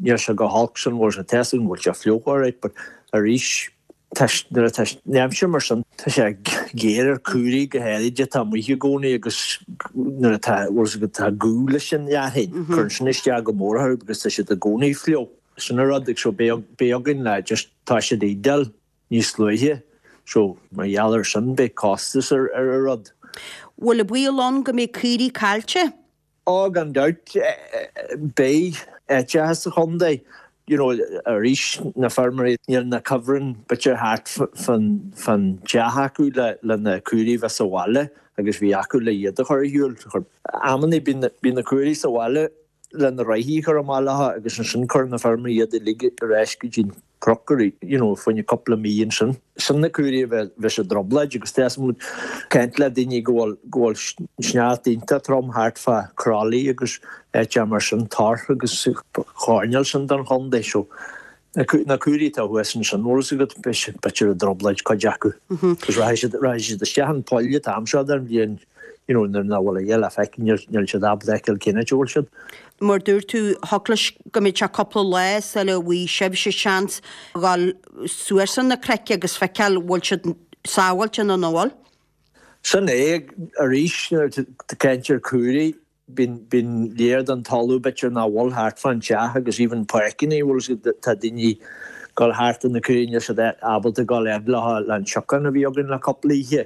níl sé go holc sin bhfuil sé tá 's agam go bhfuil sé fliuch alright but arís tá nuair atá an aimsir mar sin tá sé géar ar caoirigh go háirid atá amuigh i gcónaí agus nuair atá bhfuil 's agat tá guth leis an fhearthainn cuireann sin isteach go mór orthu because tá siad i gcónaí fliuch. Sin an rud ag so beidh beidh againn le just tá siad ídeal. níos luaithe so mar gheall ar sin beidh costas ar ar an rud. Bhfuil an baol ann go mbeidh caoirigh caillte? Ó gan dabht beidh áiteacha sa chontae you know arís na feirmeoirí níl na cuibhrinn b'fhéidir thart fán fán teach acu le le na caoirigh bheith sa bhaile agus bhí acu le iad a chur ar shiúl. Amannaí bíonn bíonn na caoirigh sa bhaile le na reithí a chur amach leo agus ansin cuireann na feirmeoirí iad uilig ar ais go dtí an cnoc ar you know fá choinne cúpla mí ansin. Sin na caoirigh a bheith bheith i dtrioblóid agus tá muid ag caint le daoine go bhfuil go bhfuil sneachta iontach trom thart fá Crolly agus áiteacha mar sin, Torc agus choirnéal sin den chontae so na caoirigh atá thuas ansin bhfuil fhios agat b'fhéidir i dtrioblóid cuid acu agus rachaidh siad rachaidh siad isteach an poll an t-am seo den bhliain you know nuair nach bhfuil a dhath le feiceáil níl níl siad ábalta feiceáil cén áit a bhfuil siad. Mar dúirt tú thiocfadh leis go mbeadh sé cúpla lá sula bhfaighidh sibhse seans dhul suas ar na cnoic agus feiceáil bhfuil siad sábháilte nó nach bhfuil. Sin é arís nuair atá caint ar caoirigh Bíonn, bíonn léar den talamh b'fhéidir nach bhfuil thart fán teach agus even páirceanna, bhfuil 'fhios agat, tá daoine ag dul thart ar na caoirigh, níl siad ábalta dul fhad leo le an siocán a bhí againn le cúpla oíche.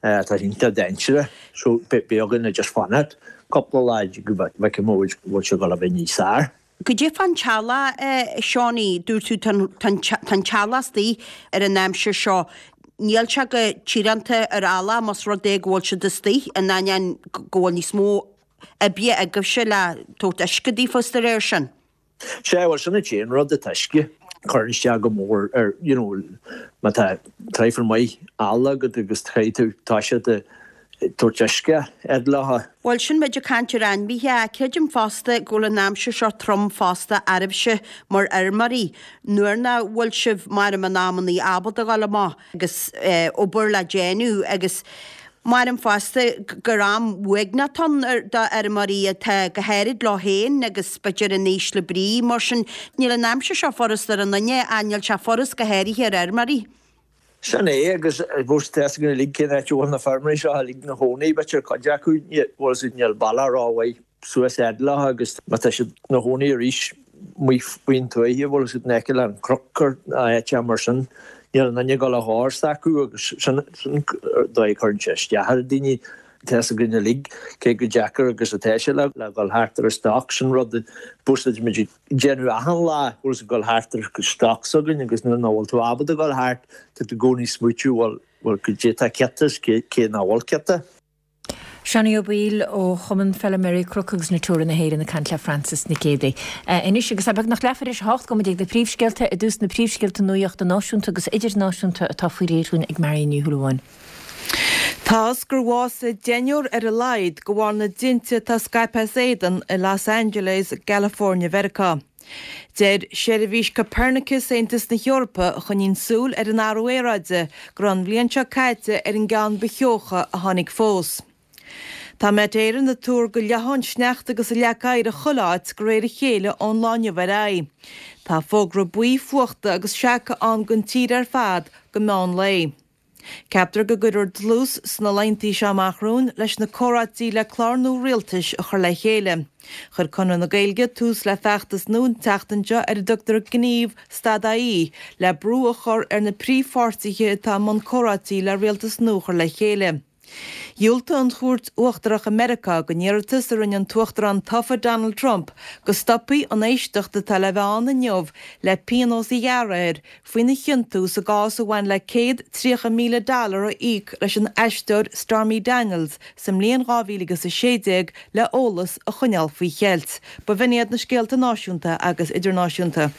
Tá sé iontach dainséarach so beidh againn le just fanacht cúpla lá go bhfeicfidh muid bhfuil sé ag dul a bheith níos fearr. Goidé fán teallach, a Seánie, dúirt tú tá an teallach istigh ar an aimsir seo. Níl sé go tíoránta ar eallach más rud é go bhfuil siad istigh, in ainneoin go bhfuil níos mó oibre agaibhse le tabhairt uisce daofa is dá réir sin. Sea, bhuel sin an t-aon rud, an t-uisce. Cuireann isteach go mór ar, you know, má tá traidhfil maith eallaigh agat agus caithfidh tú toiseacht ag tabhairt uisce fhad leo. Bhuel, sin muid ag caint ar ainmhithe, ach creidim fosta go bhfuil an aimsir seo trom fosta oraibhse mar fheirmeoirí, nuair nach bhfuil sibh, maram in amannaí, ábalta dhul amach agus obair le déanamh agus maram fosta gur am uaigneach atá ann do fheirmeoirí atá go háirid leo féin agus b'fhéidir in ísle brí mar sin. Níl an aimsir seo furast ar aon duine ach níl sé furast go háirithe ar fheirmeoirí. Sin é, agus I suppose tá 'fhios againn uilig cén áit a bhfuil na feirmeoirí seo uilig ina chónaí, b'fhéidir cuid acu, bhfuil 'fhios agat, níl bealach rómhaith. suas fhad leo agus má tá siad ina chónaí arís amuigh faoin tuaithe, bhfuil fhios agat, in aice le an cnoc nó áit mar sin, níl aon duine ag dul a dhóir s'acu agus sin an dóigh a chuireann sé isteach ar daoine. Tá fhios againn uilig cé chomh deacair agus atá sé le dhul thart ar an stoc, sin rud a bhfuil muid ag déanamh achan lá, bhfuil fhios agat, ag dul thart ar an stoc s'againn agus nuair nach bhfuil tú ábalta dul thart, tá tú i gcónaí ag smaoitiú bhuel, bhuel cad é atá ciota is cé nach bhfuil ciota. Seánie Ó Baoill ó Chumann Feilméaraí Cnoc agus Natura na hÉireann ag caint le Frances Nic Géadaigh. Anois agus é beagnach leathuair tar éis a hocht, gabhfaidh muid ag na príomhscéalta i dtús na príomhscéalta nuachta náisiúnta agus idirnáisiúnta atá faoi réir dúinn ag Marion Ní Shúilleabháin. Tá's gur bhásaigh deichniúr ar a laghad de bharr na dtinte atá scaipthe as éadan i Los Angeles i gCalifornia Mheiriceá. Deir seirbhís Copernicus Aontas na hEorpa, a choinníonn súil ar an athrú aeráide, go raibh an bhliain seo caite ar an gceann ba theocha a tháinig fós. Tá Met Éireann ag tuar go leáfaidh an sneachta agus an leac oighir i chuile áit de réir a chéile ón lá inniu ar aghaidh. Tá fógra buí fuachta agus seaca ann don tír ar fad go meán lae. Ceaptar go gcuirfear dlús sna laethanta seo amach romhainn leis na comhráití le clár nua rialtais a chur le chéile. Chuir Conradh na Gaeilge tús le feachtas nua an tseachtain seo ar a dtugtar Gníomh Stad AE le brú a chur ar na príomhpháirtithe atá i mbun comhráití le rialtas nua a chur le chéile. Dhiúltaigh an Chúirt Uachtarach i Meiriceá don iarratas a rinne an tUachtarán tofa Donald Trump go stopfaí an éisteacht atá le bheith ann inniu le pionós a ghearradh air faoina chiontú sa gcás a bhain le 130,000 dollar a íoc leis an aisteoir Stormy Daniels sa mbliain 2016 le eolas a choinneáil faoi cheilt. B'in iad na scéalta náisiúnta agus idirnáisiúnta.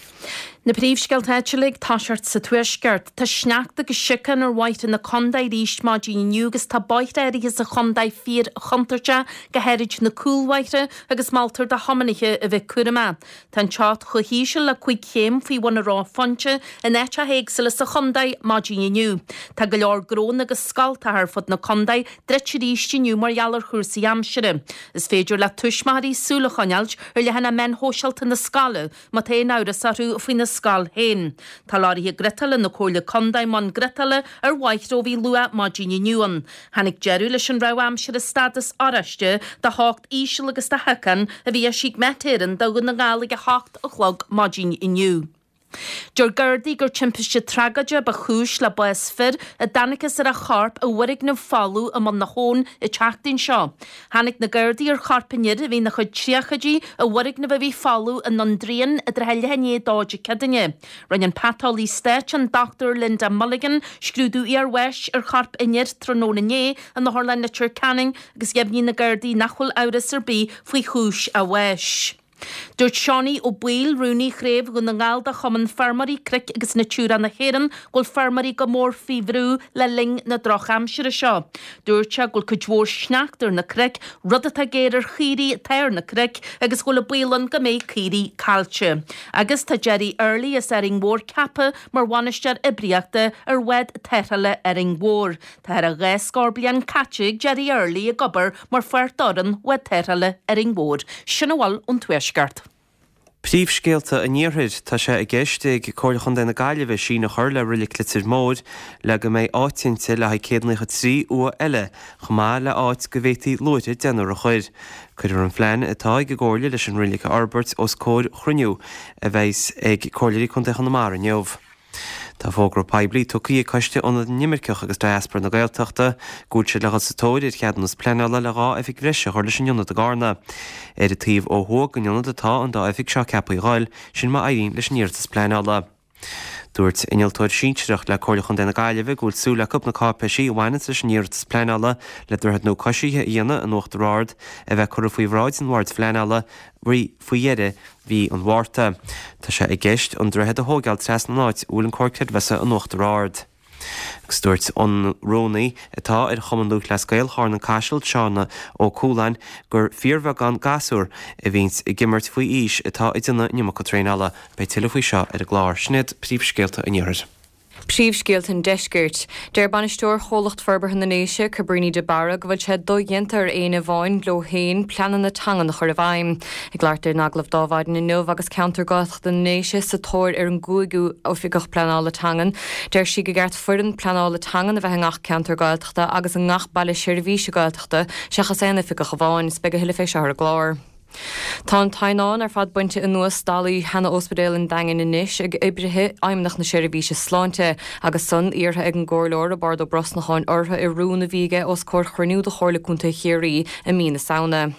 Na príomhscéalta áitiúla ag toiseacht sa Tuaisceart. Tá sneachta agus siocán ar bhóithre na contae arís maidin inniu agus tá bóithre áirithe sa chontae fíor-chontúirteach, go háirid na cúlbhóithre, agus moltar do thiománaithe a bheith cúramach. Tá an teocht chomh híseal le 5 chéim faoi bhun an reophointe in áiteacha éagsúla sa chontae maidin inniu. Tá go leor gnónna agus scoltacha ar fud na contae druidte arís inniu mar gheall ar chúrsaí aimsire. Is féidir le tuismitheoirí súil a choinneáilt ar leathanaigh meáin shóisialta na scoile má tá aon amhras orthu faoina scoil féin. Tá lorraithe griotála na Comhairle Contae i mbun griotála ar bhóithre ó bhí luath maidin inniu ann. Tháinig deireadh leis an rabhadh aimsire stádas oráiste do theocht íseal agus do shiocán a bhí eisithe ag Met Éireann do Dhún na nGall ag 8 a chlog maidin inniu. Deir Gardaí gur timpiste tragóideach ba chúis le bás fir a dtángthas ar a chorp i bhfoirgneamh folamh i mBun na hAbhann an tseachtain seo. Tháinig na Gardaí ar chorp an fhir, a bhí ina chuid tríochaidí, i bhfoirgneamh a bhí folamh i nDún Dríon i dtrátha leath i ndiaidh a dó Dé Céadaoine. Rinne an paiteolaí stáit, an Dr Linda Mulligan, scrúdú iarbháis ar chorp an fhir tráthnóna inné in Otharlann Leitir Ceanainn agus dheimhnigh na Gardaí nach bhfuil amhras ar bith faoi chúis a bháis. Dúirt Seánie Ó Baoill, Rúnaí Chraobh Dhún na nGall de Chumann Feirmeoirí Cnoic agus Natura na hÉireann, go bhfuil feirmeoirí go mór faoi bhrú le linn na drochaimsire seo. Dúirt sé go bhfuil cuid mhór sneachta ar na cnoic, rud atá géar ar chaoirigh atá ar na cnoic agus go bhfuil an baol ann go mbeidh caoirigh caillte. Agus tá Gerry Early as Árainn Mhór ceaptha mar bhainisteoir oibríochta ar bhád tarrthála Árainn Mhór. Tá thar a 20 scór bliain caite ag Gerry Early ag obair mar pháirt d'fhoireann Bhád Tarrthála Árainn Mhór. Sin a bhfuil ón Tuaisceart. Príomhscéalta an Iarthair, Tá sé i gceist ag Comhairle Chontae na Gaillimhe síneadh a chur le Reilig Leitir Móir le go mbeidh áit inti le haghaidh 193 uaigh eile, chomh maith le áit go bhféadfaí luaithre deichniúr a chur. Cuirfear an phlean atá ag an gComhairle leis an reilig a fhorbairt os comhair chruinniú a bheas ag Comhairleoirí Contae Chonamara inniu. Tá fógra poiblí tugtha ag Coiste Ionad na nImirceach agus Diaspora na Gaeltachta go bhfuil siad le dhul sa tóir ar cheadúnas pleanála le 2 oifig bhreise a chur leis an ionad i gCarna. Ar an taobh ó thuaidh den ionad atá an dá oifig seo ceaptha a dhul, sin má éiríonn leis an iarratas pleanála. Dúirt innealtóir sinsearach le Comhairle Chontae na Gaillimhe go bhfuil súil acu na cáipéisí a bhaineanns leis an iarratas pleanála le droichead nua coisithe a dhéanamh in Uachtar Ard a bheith curtha faoi bhráid an Bhoird Phleanála faoi dheireadh mhí an Mhárta. Tá sé i gceist an droichead a thóigeáil trasna an áit a bhfuil an Comhar Creidmheasa in Uachtar Ard. Agus dúirt an rúnaí atá ar Chumann Lúthchleas Gael Charna an Caiseal, Seán Ó Cualáin, gur fíorbheagán gasúr a bhíonns ag imirt faoi aois atá ag déanamh an iomarca traenála. Beidh tuilleadh faoi seo ar an gclár. Sin iad príomhscéalta an Iarthair. Príomhscéalta an Deiscirt. Deir bainisteoir Chomhlacht Forbartha na nDéise, Cabríní de Barra, go bhfuil sé dodhéanta ar éinne amháin leo féin pleananna teangan a chur i bhfeidhm. Ag labhairt di in agallamh d'Adhmhaidin inniu agus ceantar Gaeltachta na nDéise sa tóir ar an gcúigiú Oifigeach Pleanála Teangan, deir sí gur cheart foireann pleanála teangan a bheith i ngach ceantar Gaeltachta agus i ngach baile seirbhíse Gaeltachta seachas aon oifigeach amháin. Is beidh a thuilleadh fé seo ar an gclár. Tá an teannán ar fad bainte anuas stallaí sheana-Ospidéal an Daingin anois ag oibrithe Fheidhmeannacht na Seirbhíse Sláinte agus san iarrtha ag an gComhairleoir Roibeárd Ó Brosnacháin orthu i rún a bhí aige os comhair chruinniú de Chomhairle Contae Chiarraí i mí na Samhna.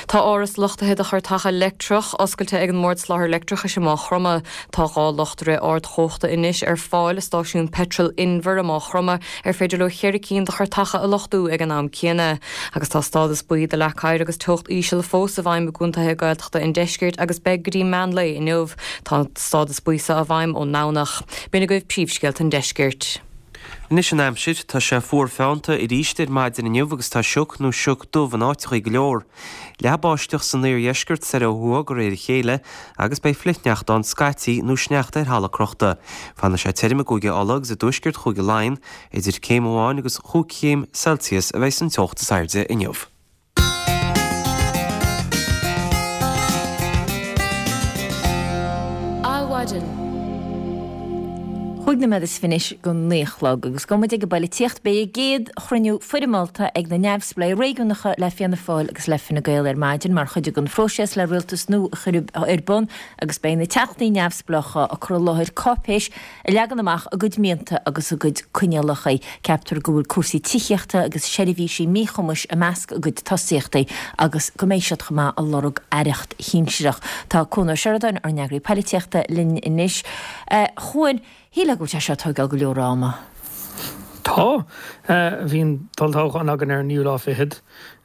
Tá áras luchtaithe do chairteacha leictreach oscailte ag an mBord Soláthair Leictreachais i Maigh Chromtha. Tá 2 luchtaire ardchumhachta anois ar fáil i stáisiún peitril Inver i Maigh Chromtha ar féidir leo cheithre cinn de chairteacha a luchtú ag an am céanna. Agus tá stádas buí do leac oighir agus teocht íseal fós i bhfeidhm i gcontaetha Gaeltachta an deiscirt agus beidh go dtí meán lae inniu. Tá an stádas buí seo i bhfeidhm ón nDomhnach. B'in agaibh príomhscéalta an deiscirt. Anois an aimsir, tá sé fuar feannta arís ar maidin inniu agus tá sioc nó sioc dubh in áiteachaí go leor. Leathfaidh báisteach san iardheisceart soir ó thuaidh de réir a chéile agus beidh flichshneachta ann scaití nó sneachta ar thalamh crochta. Fanfaidh sé tirim i gCúige Uladh agus i dtuaisceart Chúige Laighean. Idir céim amháin agus chúig chéim Celsius a bheidh san teocht is airde inniu. Adhmhaidin. Chúig nóiméad is fiche anois go naoi a chlog agus gabhfaidh muid ag an bpoilitíocht. Beidh a gcéad chruinniú foirmeálta ag na neamhspleáigh réigiúnacha le Fianna Fáil agus le Fine Gael ar maidin mar chuid den phróiseas le rialtas nua a chur ar bun agus beidh na teachtaí neamhspleácha ag cur i láthair cáipéis a leagann amach a gcuid mianta agus a gcuid coinníollacha. Ceaptar go bhfuil cúrsaí tithíochta agus seirbhísí míchumais i measc a gcuid tosaíochtaí agus go mbeidh siad chomh maith ag lorg aireacht shinsearach. Tá Cuan Ó Seireadáin, ár n-eagraí poilitíochta, linn anois. A Chuain, shílfeá go bhfuil sé seo ag tóigeáil go leor ama. Tá. Bhí an t-olltoghchán againn ar an naoú lá fichead.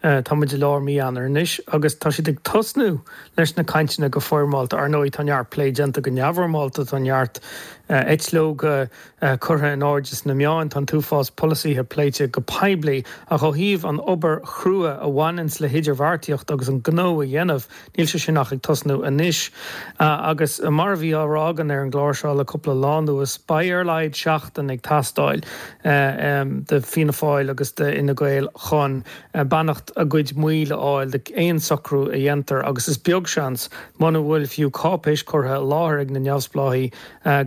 Tá muid i lár mí Eanáir anois agus tá siad ag tosnú leis na cainteanna go foirmeálta. Ar ndóigh, tá neart plé déanta go neamhfhoirmeálta, tá neart eitleoga curtha in airde sna meáin, tá an t-uafás polasaithe pléite go poiblí ach ó thaobh an obair chrua a bhaineanns le hidirbheartaíocht agus an gnó a dhéanamh, níl sé sin ach ag tosnú anois. Agus mar a bhí á rá againn ar an gclár seo le cúpla lá anuas, beidh ar a laghad seachtain ag teastáil do Fianna Fáil agus d'Fhine Gael chun beannacht a gcuid mbaill a fháil d'aon socrú a dhéantar agus is beag seans, muna bhfuil fiú cáipéis curtha i láthair ag na neamhspleáigh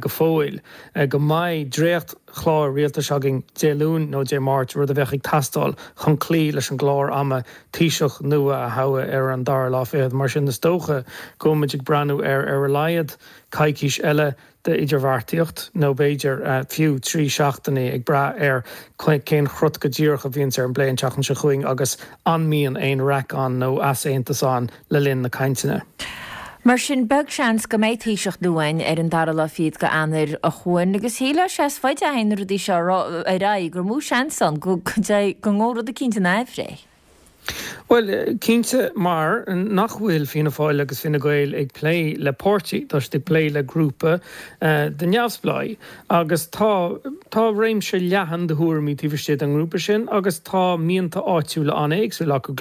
go fóill, go mbeidh dréacht-chlár rialtais againn Dé Luain nó Dé Máirt, rud a bheadh ag teastáil chun cloí leis an gclár ama Taoiseach nua a thoghadh ar an dara lá fichead. Mar sin, is dócha go bhfuil muid ag breathnú ar ar a laghad coicís eile d'idirbheartaíocht, nó b'fhéidir fiú 3 seachtainí, ag brath ar cén chrot go díreach a bhíonns ar an bplé an tseachtain seo chugainn agus an mbíonn aon raic ann nó easaontas ann le linn na cainteanna. Mar sin, beag seans go mbeidh Taoiseach nua againn ar an dara lá fichead go Eanáir a Chuain, agus shílfeá sé is faide a théann na rudaí seo ar aghaidh gur mó seans ann go ngabhfaidh rud eicínt in aimhréidh. Bhuel, cinnte, mar nach bhfuil Fianna Fáil agus Fine Gael ag plé le páirtí, tá siad ag plé le grúpa de neamhspleáigh. Agus tá, tá réimse leathan de thuairimí taobh istigh den ngrúpa sin agus tá mianta áitiúla an-éagsúil acu.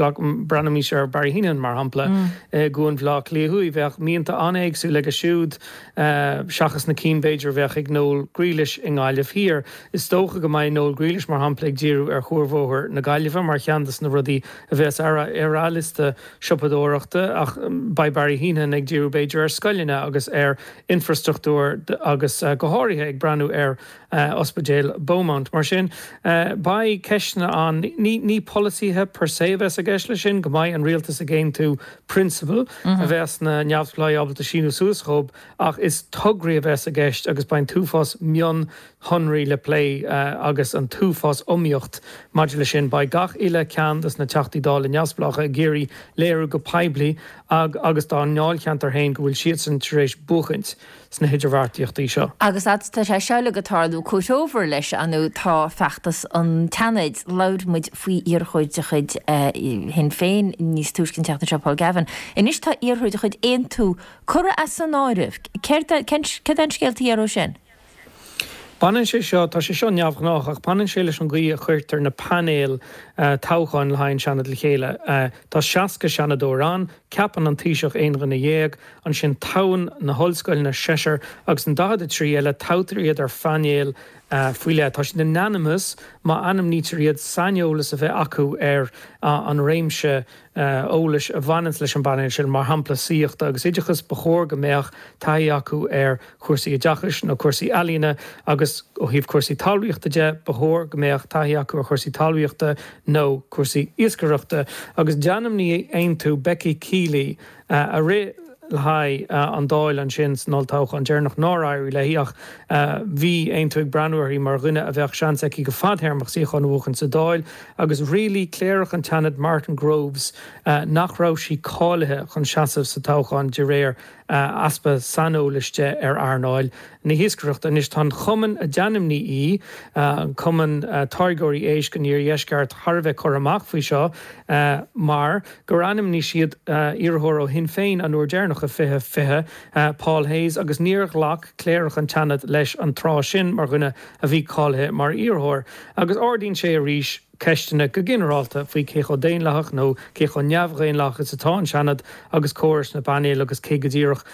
Breathnaímis ar Barry Heneghan, mar shampla, i gCuan Bhaile Átha Cliath Thuaidh. Bheadh mianta an-éagsúil aige siúd seachas na cinn, b'fhéidir, a bheadh ag Noel Grealish i nGaillimh Thiar. Is dócha go mbeidh Noel Grealish, mar shampla, ag díriú ar Chuarbhóthar na Gaillimhe mar cheann de na rudaí a bheas ar a liosta siopadóireachta ach beidh Barry Heneghan ag díriú b'fhéidir ar scoileanna agus ar infrastruchtúr agus go háirithe ag breathnú ar Ospidéal Beaumont. Mar sin, beidh ceisteanna ann. Ní polasaithe per se a bheas i gceist leis sin, go mbeidh an rialtas ag aontú prionsabail a bheas na neamhspleáigh ábalta síniú suas dhób ach is tograí a bheas i gceist agus beidh an t-uafás mionshonraí le plé agus an t-uafás iomaíocht maidir leis sin. Beidh gach uile ceann dos na Teachtaí Dála neamhspleácha ag iarraidh léiriú go poiblí agus dá ndáilcheantar féin go bhfuil siadsan tar éis buachaint sna hidirbheartaíochtaí seo. Agus tá sé seo uilig ag tarlú, comhthreomhar leis, ar ndóigh, tá feachtas an tSeanaid. Labhair muid faoi iarrthóir de chuid Shinn Féin níos túisce an tseachtain seo, Paul Gavin. Anois tá iarrthóir de chuid Aontú curtha as an áireamh. Céard é an scéal taobh thiar dhó sin? Baineann sé seo, tá sé seo neamhghnách, ach baineann sé leis an gcaoi a chuirtear na painéil toghcháin le haghaidh an Seanad le chéile. Tá 60 Seanadóir ann, ceapann an Taoiseach aon dhuine dhéag, ansin toghann na hollscoileanna seisear agus an 43 eile toghtar iad ar phainéil. faoi leith. Tá siad in ainm is, má ainmnítear iad, saineolas a bheith acu ar an réimse eolais a bhaineanns leis an bpainéal sin, mar shampla saíochta agus oideachas, ba chóir go mbeadh taithí acu ar chúrsaí oideachais nó cúrsaí ealaíona agus ó thaobh cúrsaí talmhaíochta de, ba chóir go mbeadh taithí acu ar chúrsaí talmhaíochta nó cúrsaí iascaireachta. Agus d'ainmnigh Aontú Becky Kiely a rith le haghaidh an Dáil ansin san olltoghchán deireanach nár éirigh léi ach bhí Aontú ag breathnú uirthi mar dhuine a bheadh seans aici go fadthéarmach suíochán a bhuachan sa Dáil agus rialaigh Cléireach an tSeanaid Martin Groves nach raibh sí cáilithe chun seasamh sa toghchán de réir easpa saineolais de ar earnáil na hiascaireachta. Anois tá an cumann a d'ainmnigh í, an Cumann Táirgeoirí Éisc an Iardheisceart, thar a bheith curtha amach faoi seo mar gur ainmnigh siad iarrthóir ó Shinn Féin an uair deireanach i 2020, Paul Hayes, agus níor ghlac Cléireach an tSeanaid leis an tráth sin mar dhuine a bhí cáilithe mar iarrthóir. Agus ardaíonn sé arís ceisteanna go ginearálta faoi cé chomh daonlathach nó cé chomh neamhdhaonlathach is atá an Seanad agus córas na bpainéal agus cé go díreach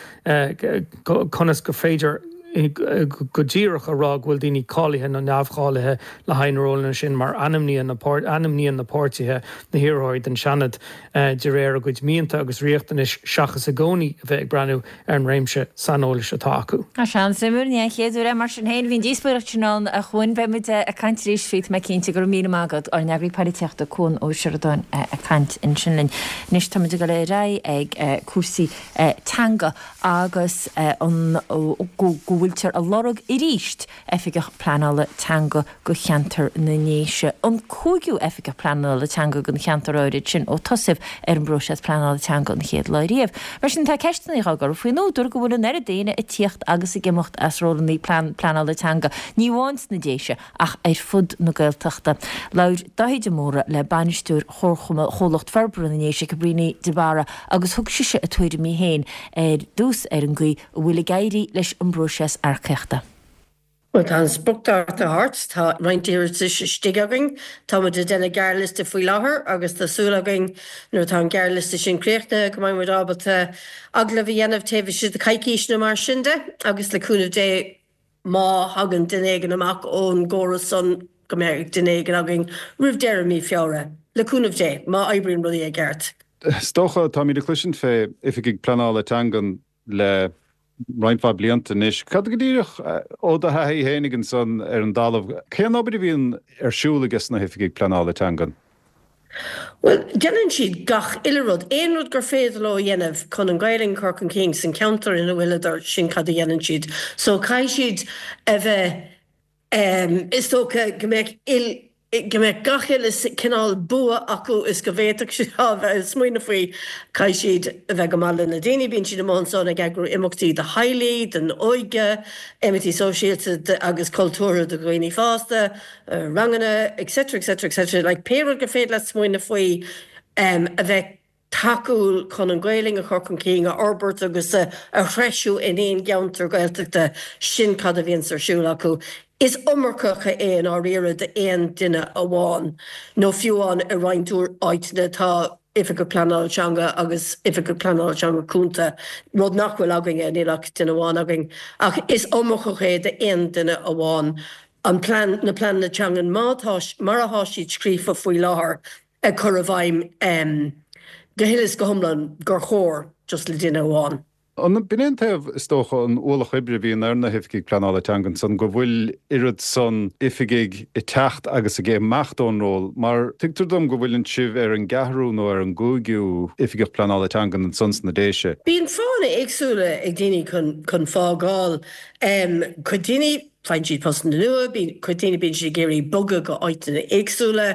conas gur féidir go díreach a rá go bhfuil daoine cáilithe nó neamhcháilithe le haghaidh na rólanna sin mar ainmníonn na ainmníonn na páirtithe na hiarrthóirí don Seanad de réir a gcuid mianta agus riachtanais seachas i gcónaí a bheith ag breathnú ar an réimse saineolais atá acu. Tá sé an-suimiúil, ní an chéad uair é mar sin féin. Bhí an díospóireacht sin ann a Chuain. Beidh muid ag caint arís faoi, tá mé cinnte. Go raibh míle maith agat, ár n-eagraí polaitíochta Cuan Ó Seireadáin ag caint ansin linn. Anois tá muid ag dul ar aghaidh ag cúrsaí teanga agus an go bhfuiltear ag lorg arís Oifigeach Pleanála Teanga go cheantar na nDéise, an cúigiú Oifigeach Pleanála Teanga don cheantar áirid sin ó tosaíodh ar an bpróiseas pleanála teanga an chéad lá riamh. Mar sin tá ceisteanna á gcur faoin údar go bhfuil an oiread daoine ag tíocht agus ag imeacht as rólanna pleanála teanga, ní amháin sna Déise ach ar fud na Gaeltachta. Labhair Dáithí de Mórdha le bainisteoir Chomhlacht Forbartha na nDéise, Cabríona de Barra, agus thug sise a tuairimí féin ar dtús ar an gcaoi a bhfuil ag éirí leis an bpróiseas earcaíochta. Bhuel, tá an spriocdháta thart, tá roinnt iarratais istigh againn, tá muid ag déanamh gearrliosta faoi láthair agus tá súil againn nuair atá an gearrliosta sin críochnaithe go mbeidh muid ábalta agallamh a dhéanamh taobh istigh de coicís nó mar sin de agus le cúnamh Dé má thagann duine éigin amach ón gcóras san go mbeidh duine éigin againn roimh deireadh mí Feabhra, le cúnamh Dé, má oibríonn rudaí i gceart. Is dócha, táimid ag cloisint fé oifigigh pleanála teangan le roinnt mhaith blianta anois. Cad go díreach, ó do thaithí fhéinig ansan ar an dtalamh, cén obair a bhíonn ar siúl aige sna hoifigigh pleanála teangan? Bhuel, déanann siad gach uile rud, aon rud gur féidir leo a dhéanamh chun an Ghaelainn a chur chun cinn san cheantar ina bhfuileadar, sin cad a dhéanann siad. So caithfidh siad a bheith, is dócha go mbeadh il, go mbeadh gach uile cineál bua acu is go bhféadfadh siad a bheith ag smaoineamh faoi, caithfidh siad a bheith go maith le na daoine, bíonn siad amuigh ansan ag eagrú imeachtaí do theaghlaigh, don óige, imeachtaí sóisialta agus cultúrtha do dhaoine fásta. ranganna etc etc etc like pé rud gur féidir leat smaoineamh faoi a bheith tacúil chun an Ghaelainn a chur chun cinn, a fhorbairt agus a threisiú in aon gceantar Gaeltachta, sin cad a bhíonns ar siúl acu. Is iomarcach é i ndáiríre d'aon duine amháin nó fiú amháin i roinnt áiteanna tá Oifigeach Pleanála Teanga agus Oifigeach Pleanála Teanga Cúnta, rud nach bhfuil againne, níl ach duine amháin againn. Ach is iomarcach é d'aon duine amháin. an plean, na pleananna teangan má tá, mar atá siad scríofa faoi láthair, a chur i bhfeidhm go huile is go hiomlán gur chóir just le duine amháin. An b'in é an taobh, is dócha, an ualach oibre a bhíonn ar na hoifigigh pleanála teangan san, go bhfuil oiread san oifigigh ag teacht agus ag imeacht ón ról, mar tuigtear dom go bhfuileann sibh ar an gceathrú nó ar an gcúigiú oifigeach pleanála teangan ansan sna Déise. Bíonn fáthanna éagsúla ag daoine chun chun fágáil. Cuid daoine, Faigheann siad postanna nua, bíonn cuid daoine bíonn siad ag iarraidh bogadh go áiteanna éagsúla,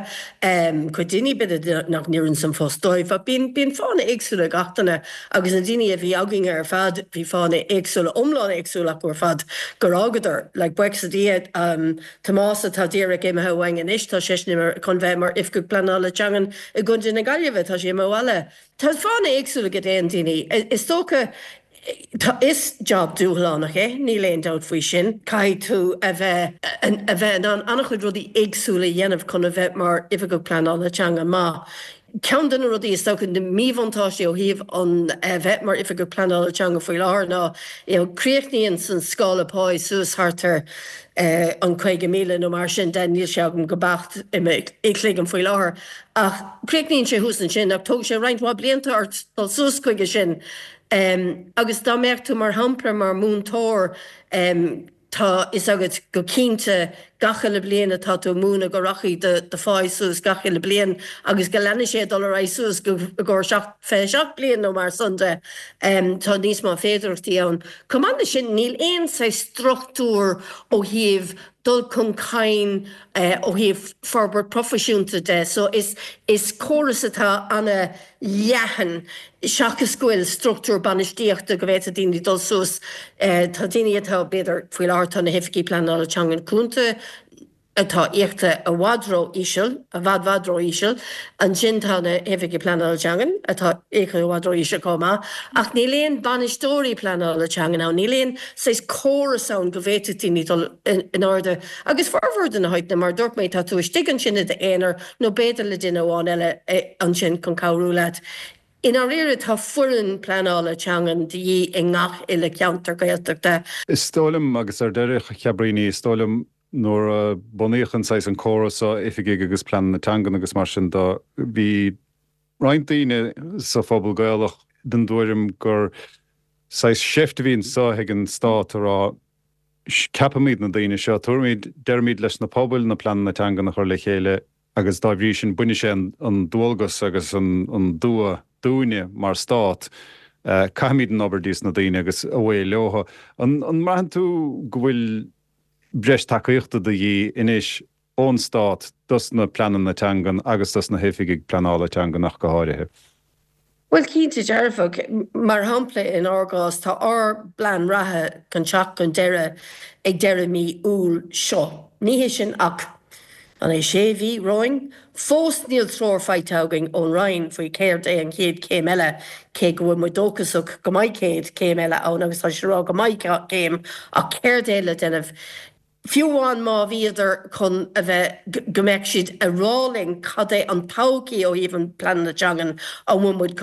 cuid daoine b'fhéidir nach n-oireann an post dóibh ach bíonn bíonn fáthanna éagsúla ag gach duine agus na daoine a bhí againn ar fad bhí fáthanna éagsúla iomlán éagsúla acu ar fad gur fhágadar. Like buíochas le Dia Tomás atá díreach imithe uainn anois tá seisean imithe chun bheith mar Oifigeach Pleanála Teangan i gContae na Gaillimhe, tá sé imithe abhaile. Tá fáthanna éagsúla ag aon daoine. Is dócha Tá, is job dúshlánach é, níl aon dabht faoi sin. Caithfidh tú a bheith, a bheith in ann an-chuid rudaí éagsúla a dhéanamh chun a bheith mar Oifigeach Pleanála Teanga maith. Ceann de na rudaí is dócha, na míbhuntáistí ó thaobh an bheith mar Oifigeach Pleanála Teanga faoi láthair ná you know críochnaíonn an scála páí suas thart ar an 50,000 nó mar sin de, níl sé agam go beacht i mo chloigeann faoi láthair ach críochnaíonn sé thuas ansin ach tógann sé roinnt mhaith blianta ort dul suas chuige sin agus dá mbeadh tú mar shampla mar mhúinteoir Tá fhios agat go cinnte gach uile bliain atá tú ag múineadh go rachaidh do do pháí suas gach uile bliain agus go leanfaidh sé ag dul ar aghaidh suas go i gcomhair 27 bliain nó mar san de. Tá níos mó féidearthachtaí ann. Chomh maith leis sin níl aon saghas struchtúr ó thaobh dul chun cinn ó thaobh forbairt proifisiúnta de so is is córas atá ana leathan seachas go bhfuil struchtúr bainistíochta go bhféadfadh daoine dul suas. Tá daoine atá, b'fhéidir, faoi láthair tá na hoifigigh pleanála teangan cúnta atá íoctha i bhfad ró-íseal, i bhfad bhfad ró-íseal. Ansin tá na hoifigigh pleanála teangan atá íoctha i bhfad ró-íseal chomh maith. Ach níl aon bainisteoirí pleanála teangan ann, níl aon saghas córas ann go bhféadfadh daoine dul in airde. Agus formhór de na háiteanna, mar a dúirt mé, tá tú istigh ansin i d'aonar, nó b'fhéidir le duine amháin eile ansin chun cabhrú leat. I ndáiríre tá foireann pleanála teangan de dhíth i ngach uile cheantar Gaeltachta. Is dóigh liom, agus ar deireadh, a Chabríní, is dóigh liom nuair a bunaíodh an saghas an córas seo, oifigigh agus pleananna teangan agus mar sin de, bhí roinnt daoine sa phobal Gaelach den dtuairim gur saghas seift a bhí anseo ag an stát a rá, ceapaimid na daoine seo, tabharfaimid, déarfaimid leis na pobail na pleananna teangan a chur le chéile agus dá bhrí sin bainfidh sé an dualgas agus an dua dúinne mar stát, caithfimid an obair díos na daoine agus away leo. An mbraitheann tú go bhfuil breis tacaíochta de dhíth anois ón stát dos na pleananna teangan agus dos na hoifigigh pleanála teangan ach go háirithe? Bhuel, cinnte dearfach. Mar shampla, in ár gcás, tá ár bplean reatha chun teacht chun deireadh ag deireadh mí Iúil seo. Ní hé sin ach, an é sé mhí romhainn? Fós níl treoir faighte againn ón Roinn faoi céard é an chéad chéim eile, cé go bhfuil muid dóchasach go mbeidh céad céim eile ann agus tá siad ag rá go mbeidh céim, ach céard é le déanamh? Fiú amháin má bhíodar chun a bheith, go mbeadh siad ag rá linn cad é an todhchaí ó thaobh an pleananna teangan, an bhfuil muid,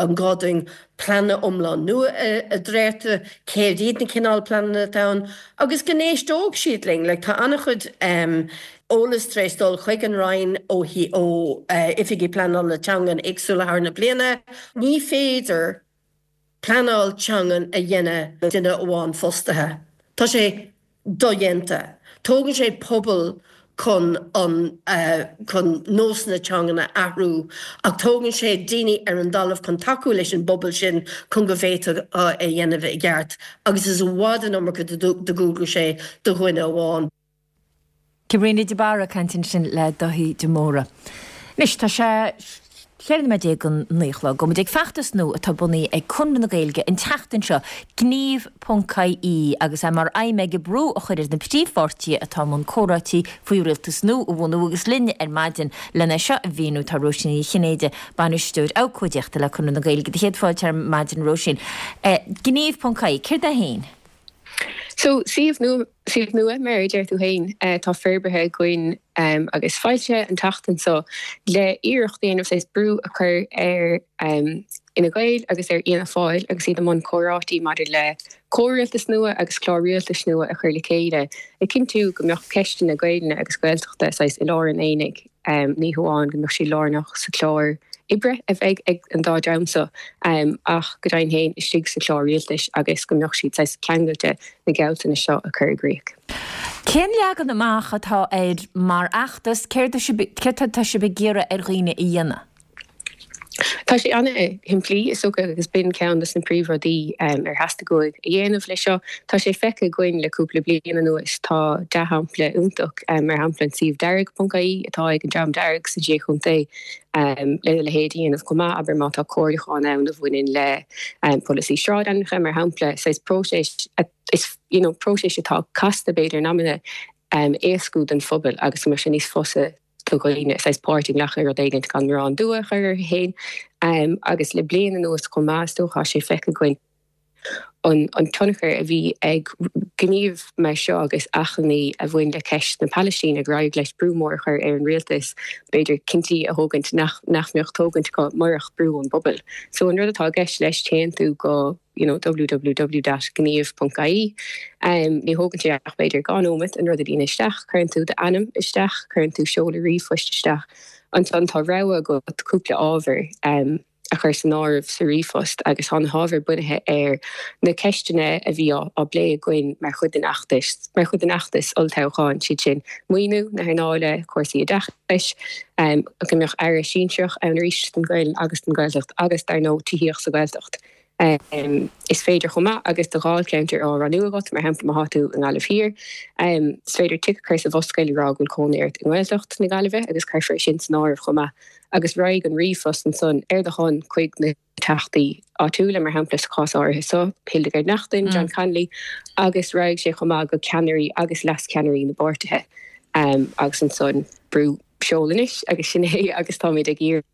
an gá dúinn pleananna iomlán nua a dhréachtú, céard iad na cineál pleananna atá ann, agus go n-éisteodh siad linn. Like, tá an-chuid eolas tar éis dul chuig an Roinn ó ó oifigigh pleanála teangan éagsúla thar na bliana. Ní féidir pleanáil teangan a dhéanamh le duine amháin fostaithe. Tá sé dodhéanta. Tógann sé pobal chun an chun nósanna teangan a athrú ach tógann sé daoine ar an dtalamh chun tacú leis an bpobal sin chun go bhféadfadh é a dhéanamh i gceart agus is i bhfad an iomarca de dhualgais é do dhuine amháin. Cabríona de Barra ag caint ansin le Daithí de Mórdha. Anois, tá sé 14 nóiméad don 9 a chlog. Gabhfaidh muid ag feachtas nua atá bunaithe ag Conradh na Gaeilge an tseachtain seo, Gníomh ponc ie, agus é mar aidhm aige brú a chur ar na príomhpháirtithe atá i mbun comhráití faoi rialtas nua a bhunú agus linn ar maidin lena seo a mhíniú tá Róisín Ní Chinnéide, Bainisteoir Abhcóideachta le Conradh na Gaeilge. Do chéad fáilte ar maidin, Róisín. Gníomh ponc ie, céard é féin? So, suíomh nua, suíomh nua, mar a deir tú féin, atá forbartha againn agus foilsithe an tseachtain seo le iarracht a dhéanamh saghas brú a chur ar Fhine Gael agus ar Fhianna Fáil agus iad i mbun comhráití maidir le comhrialtas nua agus clár rialtais nua a chur le chéile, ag cinntiú go mbeadh ceisteanna Gaelainne agus Gaeltachta saghas i lár an aonaigh. Ní hamháin go mbeadh sí lárnach sa chlár oibre a bheidh ag an dá dream seo ach go deimhin féin istigh sa chlár rialtais agus go mbeadh siad saghas ceangailte na gealltanais seo a chur i gcrích. Cén leagan amach atá air mar fheachtas? Céard atá sibh ag iarraidh ar dhaoine a dhéanamh? Tá sé ana-shimplí, is dócha, agus b'in ceann de na príomhrudaí ar theastaigh uainn a dhéanamh leis seo. Tá sé feicthe againn le cúpla bliain anuas, tá dea-shampla iontach, mar shampla an suíomh dearg.ie atá ag an Dream Dearg sna Sé Chontae, lena leithéid a dhéanamh chomh maith, abair má tá comhairliúchán ann a bhaineann le polasaí sráidainmneacha, mar shampla, saghas próiseas, is you know próiseas atá casta b'fhéidir in amanna, a éascú don phobal agus go mbeadh sé níos fusa do dhaoine saghas páirt a ghlacadh i rud éigin gan mórán dua a chur orthu féin. Agus le bliain anuas chomh maith, is dócha, tá sé feicthe againn. an an tionchar a bhí ag gníomh mar seo agus achainí a bhain le ceist na Palaistíne gur éirigh leis brú mór a chur ar an rialtas b'fhéidir cinntí a thógaint nach nach mbeadh tógaint acu murach brú ón bpobal. So an rud atá i gceist leis téann tú go you know www.gníomh.ie ní thógann sé ach b'fhéidir 2 nóimeat an rud a líonadh isteach, cuireann tú d'ainm isteach, cuireann tú seoladh ríomhphoist isteach, ansan tá rogha agat cúpla ábhar a chur san áireamh sa ríomhphost agus tá na hábhair bunaithe ar na ceisteanna a bhí á bplé againn mar chuid den fheachtas, mar chuid den fheachtas olltoghcháin, siad sin maoiniú na hearnála, cúrsaí oideachais, go mbeadh aire sinsearach ann arís don Ghaelainn agus don Ghaeltacht agus dar ndóigh tithíocht sa Ghaeltacht. Is féidir chomh maith agus do dháilcheantar á roghnú agat, mar shampla má thá tú i nGaillimh Thiar, is féidir tic a chur sa bhosca le rá go bhfuil cónaí ort i nGaeltacht na Gaillimhe agus cuirfear sin san áireamh chomh maith agus raghaidh an ríomhphost ansan ar do shon chuig na teachtaí áitiúla, mar shampla sa chás áirithe seo, Hildegarde Naughton, John Connolly, agus raghaidh sé chomh maith go ceannairí agus leascheannairí na bpáirtithe agus ansan brú seol anois agus sin é agus táimid ag iarraidh.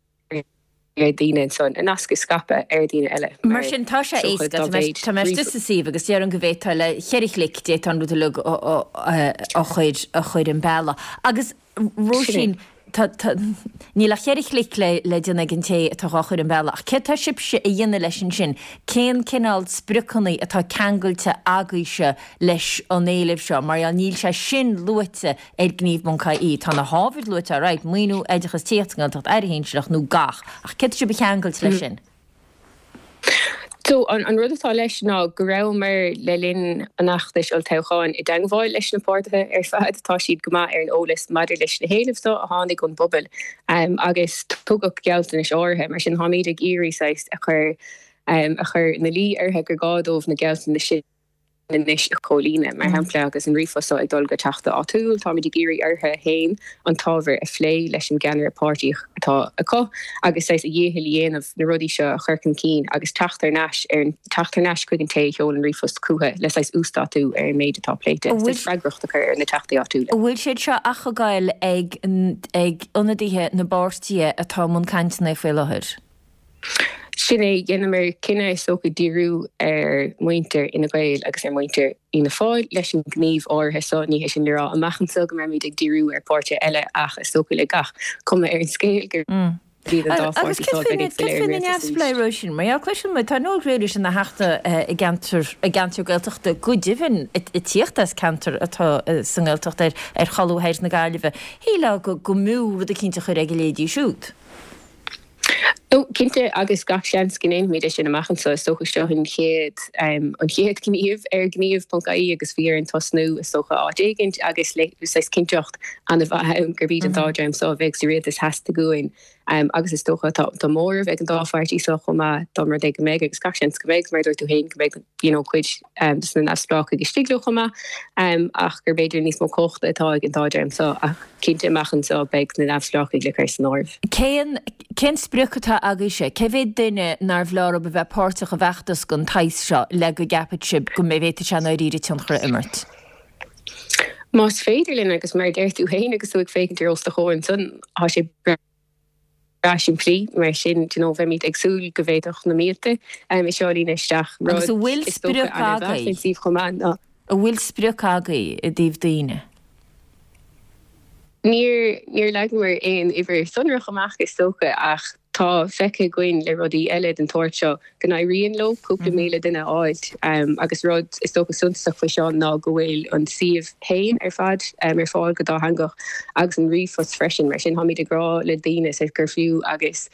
ar daoine ansan a nasc a scaipeadh ar daoine eile Mar sin, tá sé éasca. Tá mé tá mé istigh sa suíomh agus déarfainn go bhféadfá le cheithre chlic, d'fhéadfá an rud uilig a chur a chur an bealach. Agus Róisín, tá tá níl ach cheithre chlic le le déanamh ag an té atá dhá chur an bealach. Ach céard tá sibhse a dhéanamh leis ansin? Cén cineál spriocanna atá ceangailte agaibhse leis an éileamh seo? Mar gheall níl sé sin luaite ar gníomh.ie. Tá na hábhair luaite alright, maoiniú, oideachas, tithíocht sa nGaeltacht, Aire Shinsearach nó gach, ach céard tá sibh a cheangailt leis sin? So, an rud atá leis ná go rabhamar le linn an fheachtais olltoghcháin i dteangmháil leis na páirtithe ar fad, tá siad go maith ar an eolas maidir leis na héilimh seo a tháinig ón bpobal agus tugadh gealltanais áirithe, mar sin táimid ag iarraidh saghas a chur a chur ina luí orthu gur gá dóibh na gealltanais sin anois a chomhlíonadh. Mar shampla, agus an ríomhphost seo ag dul go teachta áitiúil, táimid ag iarraidh orthu féin an t-ábhar a phlé leis an gceannaire páirtí atá acu agus saghas a dhícheall a dhéanamh na rudaí seo a chur chun cinn agus teacht thar n-ais ar an teacht thar n-ais chuig an té a sheol an ríomhphost chucu le saghas uasdátú ar an méid atá pléite, saghas freagracht a chur ar na teachtaí áitiúla. An bhfuil siad seo ach ag goil ag ag ionadaithe na bpáirtithe atá i mbun cainteanna faoi láthair? Sin é, dheineamar cinneadh is dócha díriú ar mhuintir Fhine Gael agus ar mhuintir Fhianna Fáil leis an ngníomh áirithe seo. Ní hé sin le rá amach anseo go mbeimid ag díriú ar pháirtithe eile ach is dócha le gach cuma ar an scéal gurb iad an dá Agus pháirtí seo céard a bheidh ag faoi plé ar na an rialtas arís. neamhspleáigh, Róisín? Mar gheall, cloiseann muid, tá Noel Grealish ina theachta i gceantar, i gceantar Gaeltachta, go deimhin ag tíocht as ceantar atá sa nGaeltacht ar ar cholbha thoir na Gaillimhe. Shílfeá go go mb'fhiú rud eicínt a chur ag a leithéidí siúd. Ó, cinnte, agus gach seans go ndéanfaimid é sin amach anseo. Is dócha seo an chéad, an chéad ghníomh ar gníomh.ie agus bhí orainn tosnú, is dócha, áit éigint agus le saghas cinnteacht an-mhaith ann gurb iad an dá dream seo a bheidh sa rialtas theastaigh uainn agus is dócha tá tá móramh ag an dá pháirtí seo chomh maith dá mba rud é go mbeidh agus gach seans go mbeidh, mar a dúirt tú féin, go mbeidh you know cuid de na neamhspleáchaigh istigh leo chomh maith ach gur b'fhéidir níos mó cumhachta atá ag an dá dream seo ach cinnte amach anseo beidh na neamhspleáchaigh le cur san áireamh. Cén cén sprioc atá agaibhse? Cé mhéad duine nárbh leor a bheith páirteach i bhfeachtas den tsaghas seo le go gceapfadh sibh go bhféadfadh sé i ndáiríre tionchar a imirt? Más féidir linn, agus mar a deir tú féin agus tú ag féachaint ar os do chomhair ansan, tá sé breá simplí, mar sin do you know bheimid ag súil go bhféadfadh na mílte é seo a líonadh isteach. Agus Rud an bhfuil is dócha sprioc an-mhaith agaibh? faoin suíomh chomh maith ná. An bhfuil sprioc agaibh i dtaobh daoine? Níor, níor leagamar aon uimhir sonrach amach is dócha ach tá feicthe againn le rudaí eile den tsórt seo go n-éiríonn leo cúpla 1,000 duine a fháilt agus rud is dócha suntasach faoi seo ná go bhfuil an suíomh féin ar fad ar fáil go dátheangach agus an ríomhphost freisin mar sin táimid ag rá le daoine gur fiú agus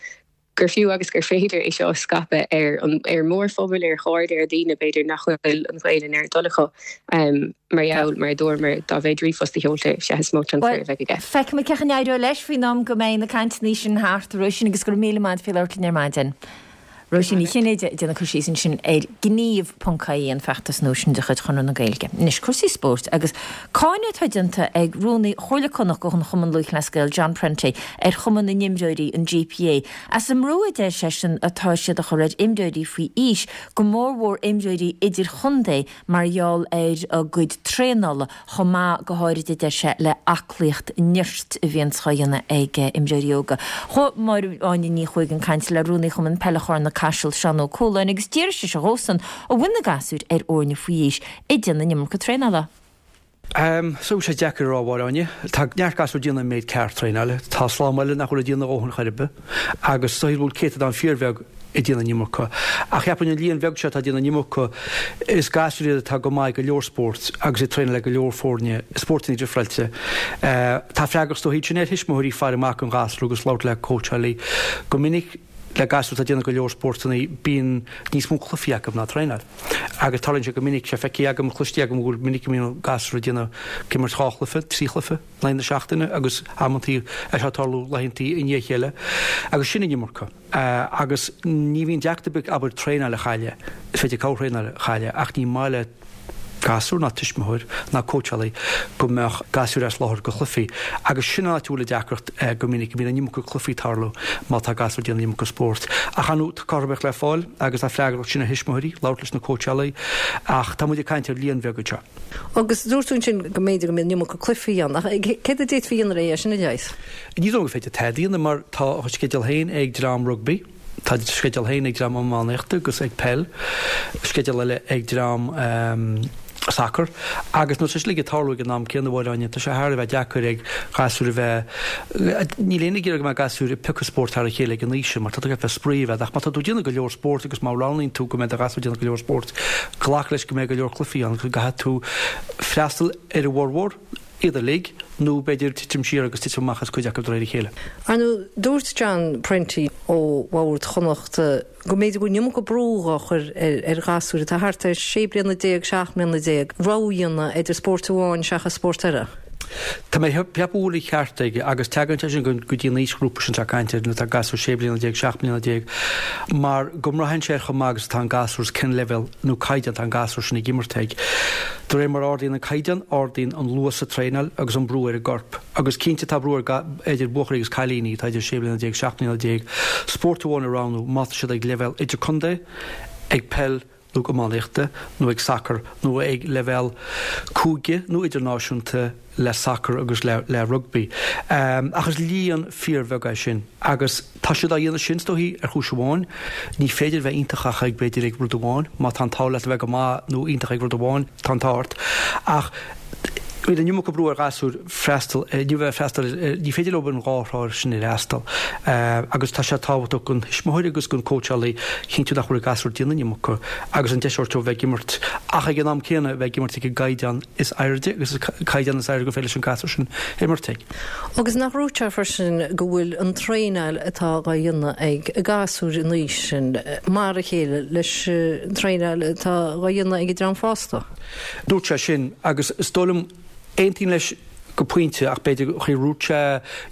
gur fiú agus gur féidir é seo a scaipeadh ar an ar an mórphobal, ar chairde, ar dhaoine b'fhéidir nach bhfuil an Ghaelainn ar a dtoil acu mar gheall, mar a dúramar, dá mhéid ríomhphost a sheoltar, sea is mó tionchar a bheidh aige. Feicfimid cén chaoi a n-éireoidh leis faoin am go mbeidh na cainteanna sin thart, a Róisín, agus go raibh míle maith agat faoi labhairt linn ar maidin. Róisín Ní Chinnéide ag déanamh cur síos ansin ar gníomh.ie, an feachtas nua sin de chuid Chonradh na Gaeilge. Anois, cúrsaí spóirt agus cáineadh atá déanta ag Rúnaí Chomhairle Connacht de Chumann Lúthchleas Gael, John Prenty, ar Chumann na nImreoirí, an GPA, as an mbrú a deir seisean atá siad a chur ar imreoirí faoi aois, go mórmhór imreoirí idirchontae mar gheall ar a gcuid traenála, chomh maith, go háirid a deir sé, le aclaíocht nirt a bhíonns á dhéanamh ag imreoirí óga. Chuaigh Máire Áine Ní Chuaig chun cainte le Rúnaí Chumann Peile Chorn na. Caiseal, Seán Ó Cualáin agus d'iarr sise dhósan an bhfuil na gasúir ar fhoirne faoi aois ag déanamh an iomarca traenála. So sé deacair a rá, a Mháire Áine. Tá neart gasúr ag déanamh an méid ceart traenála. Tá slám eile nach bhfuil ag déanamh a dhóthain chor ar bith. Agus is dóichí go bhfuil céatadán fíorbheag ag déanamh an iomarca. Ach cheapfainn an líon bheag seo atá ag déanamh an iomarca, is gasúir iad atá go maith ag go leor spóirt agus ag traenáil le go leor foirne i spórtanna difreáilte. Tá freagracht is dóichí ansin ar thuismitheoirí faire amach don ghasúr agus labhairt le cóitseálaí. Go minic le gasúir atá ag déanamh go leor spórtanna bíonn níos mó cluichí acu ná traenáil. Agus tarlaíonn sé go minic, sé feicthe agam, cloiste agam go bhfuil minic go mbíonn gasúir ag déanamh, ag imirt dhá chluiche, trí chluiche in aghaidh na seachtaine agus amantaí é seo ag tarlú laethantaí i ndiaidh a chéile. Agus sin an iomarca. Agus ní bhíonn deacracht ar bith, abair, traenáil a chailleadh, is féidir corrthraenáil a chailleadh ach ní maith le gasúr ná tuismitheoir ná cóitseálaí go mbeadh gasúir as láthair go chluichí. Agus sin an áit a bhfuil an deacracht go minic, go mbíonn an iomarca cluichí ag tarlú má tá gasúir ag déanamh an iomarca spóirt. Ach ar ndóigh, tá cothromaíocht le fáil agus tá freagracht sin ar thuismitheoirí labhairt leis na cóitseálaí ach tá muid ag caint ar líon bheag anseo. Agus dúirt tú ansin go mb'fhéidir go mbíonn an iomarca cluichí ann, ach céard a d'fhéadfaí a dhéanamh le é sin a leigheas? Ní dóigh liom gur féidir tada a dhéanamh mar tá a sceideal féin ag dream rugbaí. Tá sceideal féin ag dream iománaíochta agus ag peil, sceideal eile ag dream sacair agus nuair atá sé uilig ag tarlú ag an am céanna, a Mháire Áine, tá sé thar a bheith deacair ag gasúir a bheith, níl éinne ag iarraidh go mbeadh gasúir ag piocadh spórt thar a chéile ag an aois sin mar tá tú ag bheith spraoi a bheith ach má tá tú ag déanamh go leor spóirt agus má roghnaíonn tú go mbeidh do ghasúr ag déanamh go leor spóirt, glac leis go mbeidh go leor cluichí ann agus go gcaithfidh tú freastal ar a bhformhór. iad uilig, nó b'fhéidir titim siar agus titim amach as cuid acu de réir a chéile. Ar ndóigh, dúirt John Prenty ó Bhord Chonnachta go mb'fhéidir go bhfuil an iomarca brú á chur ar ghasúir atá thart ar 16 bliana, 17 mbliana, rogha a dhéanamh idir spórt amháin seachas spórt eile. Tá mé ag ceapadh go bhfuil an ceart aige agus tagann sé sin go dtí an aoisghrúpa sin atá ag caint air nuair atá gasúr 16 bliana, 17 mbliana, mar go mbraitheann sé ar chomh maith agus atá an gasúr is cén leibhéal nó caighdeán atá an gasúr sin ag imirt ag. De réir mar a ardaíonn an caighdeán, ardaíonn an luas sa traenáil agus an brú ar an gcorp. Agus cinnte tá brú ar idir buachaillí agus cailíní atá idir 16 bliana, 17 mbliana, spórt amháin a roghnú má tá siad ag leibhéal idirchontae, ag peil nó iománaíochta nó ag sacar nó ag leibhéal cúige nó idirnáisiúnta le sacar agus le rugbaí. Ach is líon fíorbheag é sin agus tá siad á dhéanamh sin, is dóichí, ar chúis amháin. Ní féidir a bheith iontach ach ag, b'fhéidir, ag rud amháin. Má tá an t-ádh leat a bheith go maith nó iontach ag rud amháin, tá an t-ádh ort. Ach bíonn an iomarca brú ar ghasúir freastal, ní bheith freastal ar, ní féidir leo an dhá thrá sin a fhreastal. Agus tá sé tábhachtach don thuismitheoir agus don cóitseálaí cinntiú nach bhfuil an gasúr ag déanamh an iomarca agus an deis a thabhairt dóibh bheith ag imirt ach ag an am céanna bheith ag imirt ag an gcaighdeán is airde agus an caighdeán is airde gur féidir leis an gasúr sin imirt ag. Agus nach ndúirt sé freisin go bhfuil an traenáil atá á dhéanamh ag gasúir an aois sin mar a chéile leis an traenáil atá á dhéanamh ag an dream fásta? Dúirt sé sin agus is dóigh liom, aontaím leis go pointe ach b'fhéidir an chaoi a ndúirt sé,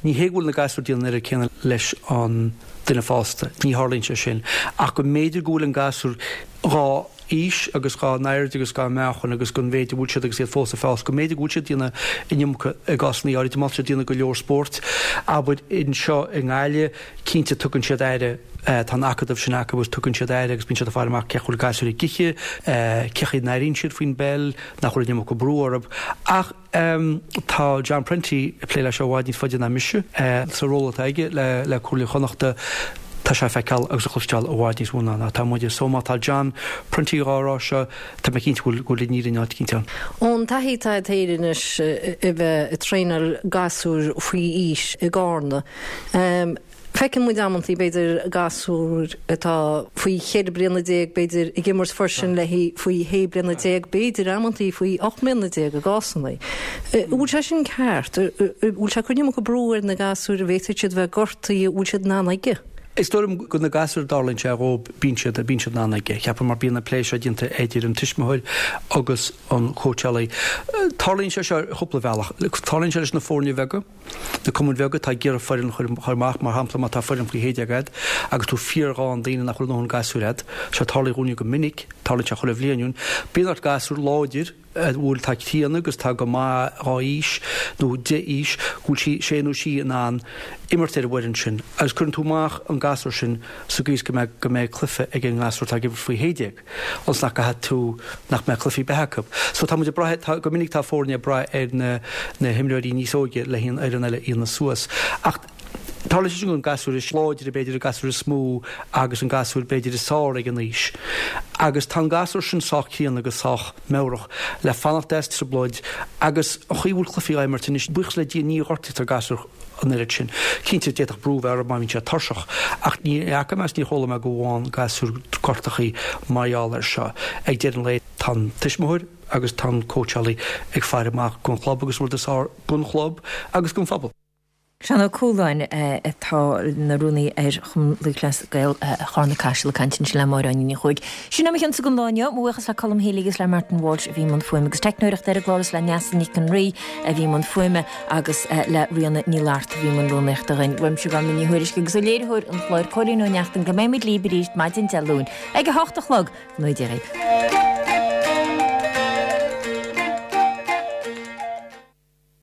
ní hé go bhfuil na gasúir ag déanamh an oiread céanna leis an duine fásta, ní tharlaíonn sé sin, ach go mb'fhéidir go bhfuil an gasúr dhá aois agus dhá n-airde agus dhá meáchan agus don mhéid a bhfuil siad agus iad fós ag fás, go mb'fhéidir go bhfuil siad ag déanamh an iomarca i gcásanna áirithe, má tá siad ag déanamh go leor spóirt, abair, anseo i nGaillimh, cinnte tugann siad aire, tá an acadamh sin acu agus tugann siad aire agus bíonn siad ag faire amach cén chaoi a bhfuil gasúir ag ithe, cén chaoi a n-airíonn siad faoin bpeil, nach bhfuil an iomarca brú orthu. Ach tá John Prenty ag plé leis seo i bhfad níos faide ná mise. Sa ról atá aige le Comhairle Chonnachta, tá sé ag feiceáil agus ag cloisteáil i bhfad níos mó ná atá muide. So má tá John Prenty dhá rá seo, tá mé cinnte go bhfuil an fhírinne áit eicínt ann. Ón taithí atá agat féin anois a bheith ag traenáil gasúir faoi aois i gCarna, Feiceann muid amantaí, b'fhéidir, gasúir atá faoi cheithre bliana déag, b'fhéidir, ag imirt freisin le faoi shé bliana déag, b'fhéidir, amantaí faoi ocht mbliana déag i gcásanna. An bhfuil sé sin ceart? An bhfuil sé ag cur an iomarca brú ar na gasúir? An bhféadfaidh siad bheith gortaithe? An bhfuil siad in ann aige? Is dóigh liom go na gasúir a dtarlaíonn sé dhóibh, bíonn siad, bíonn siad in ann aige. Cheapfainn mar bíonn an plé seo déanta idir an tuismitheoir agus an cóitseálaí. Tarlaíonn sé seo ar chúpla bealach. Tarlaíonn sé leis na foirne bheaga. Na cumainn bheaga atá ag iarraidh foireann a chur amach, mar shampla má tá foireann faoi shé déag agat agus tú fíorghann daoine nach bhfuil a ndóthain gasúir agat, seo tarlaíonn dhúinne go minic, tarlaíonn sé chuile bhliain dhúinn, bíonn ort gasúr láidir a bhfuil atá críonna agus atá go maith dhá aois nó d'aois, go bhfuil sí, sé nó sí in ann imirt ar an bhfoireann sin agus cuireann tú amach an gasúr sin sa gcaoi is go mbeidh, go mbeidh cluiche ag an ngasúr atá ag imirt faoi shé déag. ionas nach gcaithfidh tú, nach mbeadh cluichí ar bith acu. So tá muid ag brath, tá, go minic tá foirne ag brath ar na, na himreoirí níos óige le an fhoireann eile a dhéanamh suas. Ach Tarlaíonn sé sin don gasúr is láidre, b'fhéidir, an gasúr is mó agus an gasúr b'fhéidir is fearr ag an aois. Agus tá an gasúr sin sách críonna agus sách meabhrach le fanacht as trioblóid agus an chaoi a bhfuil cluichí á imirt anois, buíochas le Dia ní ghortaítear gasúir an oiread sin. Cinnte, d'fhéadfadh brú a bheith orthu má bhíonn siad tuirseach, ach ní fhaca mé agus níor chuala mé go bhfaigheann gasúir gortachaí mar gheall air seo. Ag deireadh an lae, tá an tuismitheoir agus tá an cóitseálaí ag faire amach don chlub agus an rud is fearr don chlub agus don phobal. Seán Ó Cualáin, atá ina rúnaí ar Chumann Lúthchleas Gael Charna Caiseal ag caint ansin le Máire Áine Ní Chuaig. Sin é mo chionsa don lá inniu. Mo bhuíochas le Colm Healy agus le Martin Walsh a bhí i mbun fuaime agus teicneoireachta ar an gclár is le Neasa Nic an Rí a bhí i mbun fuaime agus le Ríona Ní Fhlatharta a bhí i mbun rúnaíochta dhuinn. Uaimse Gormfhlaith Ní Thuairisg agus ó léiritheoir an chláir Cóilín Ó Neachtain go mbeimid libh arís maidin Dé Luain ag a hocht a chlog. Go ngnóthaí Dia dhaoibh.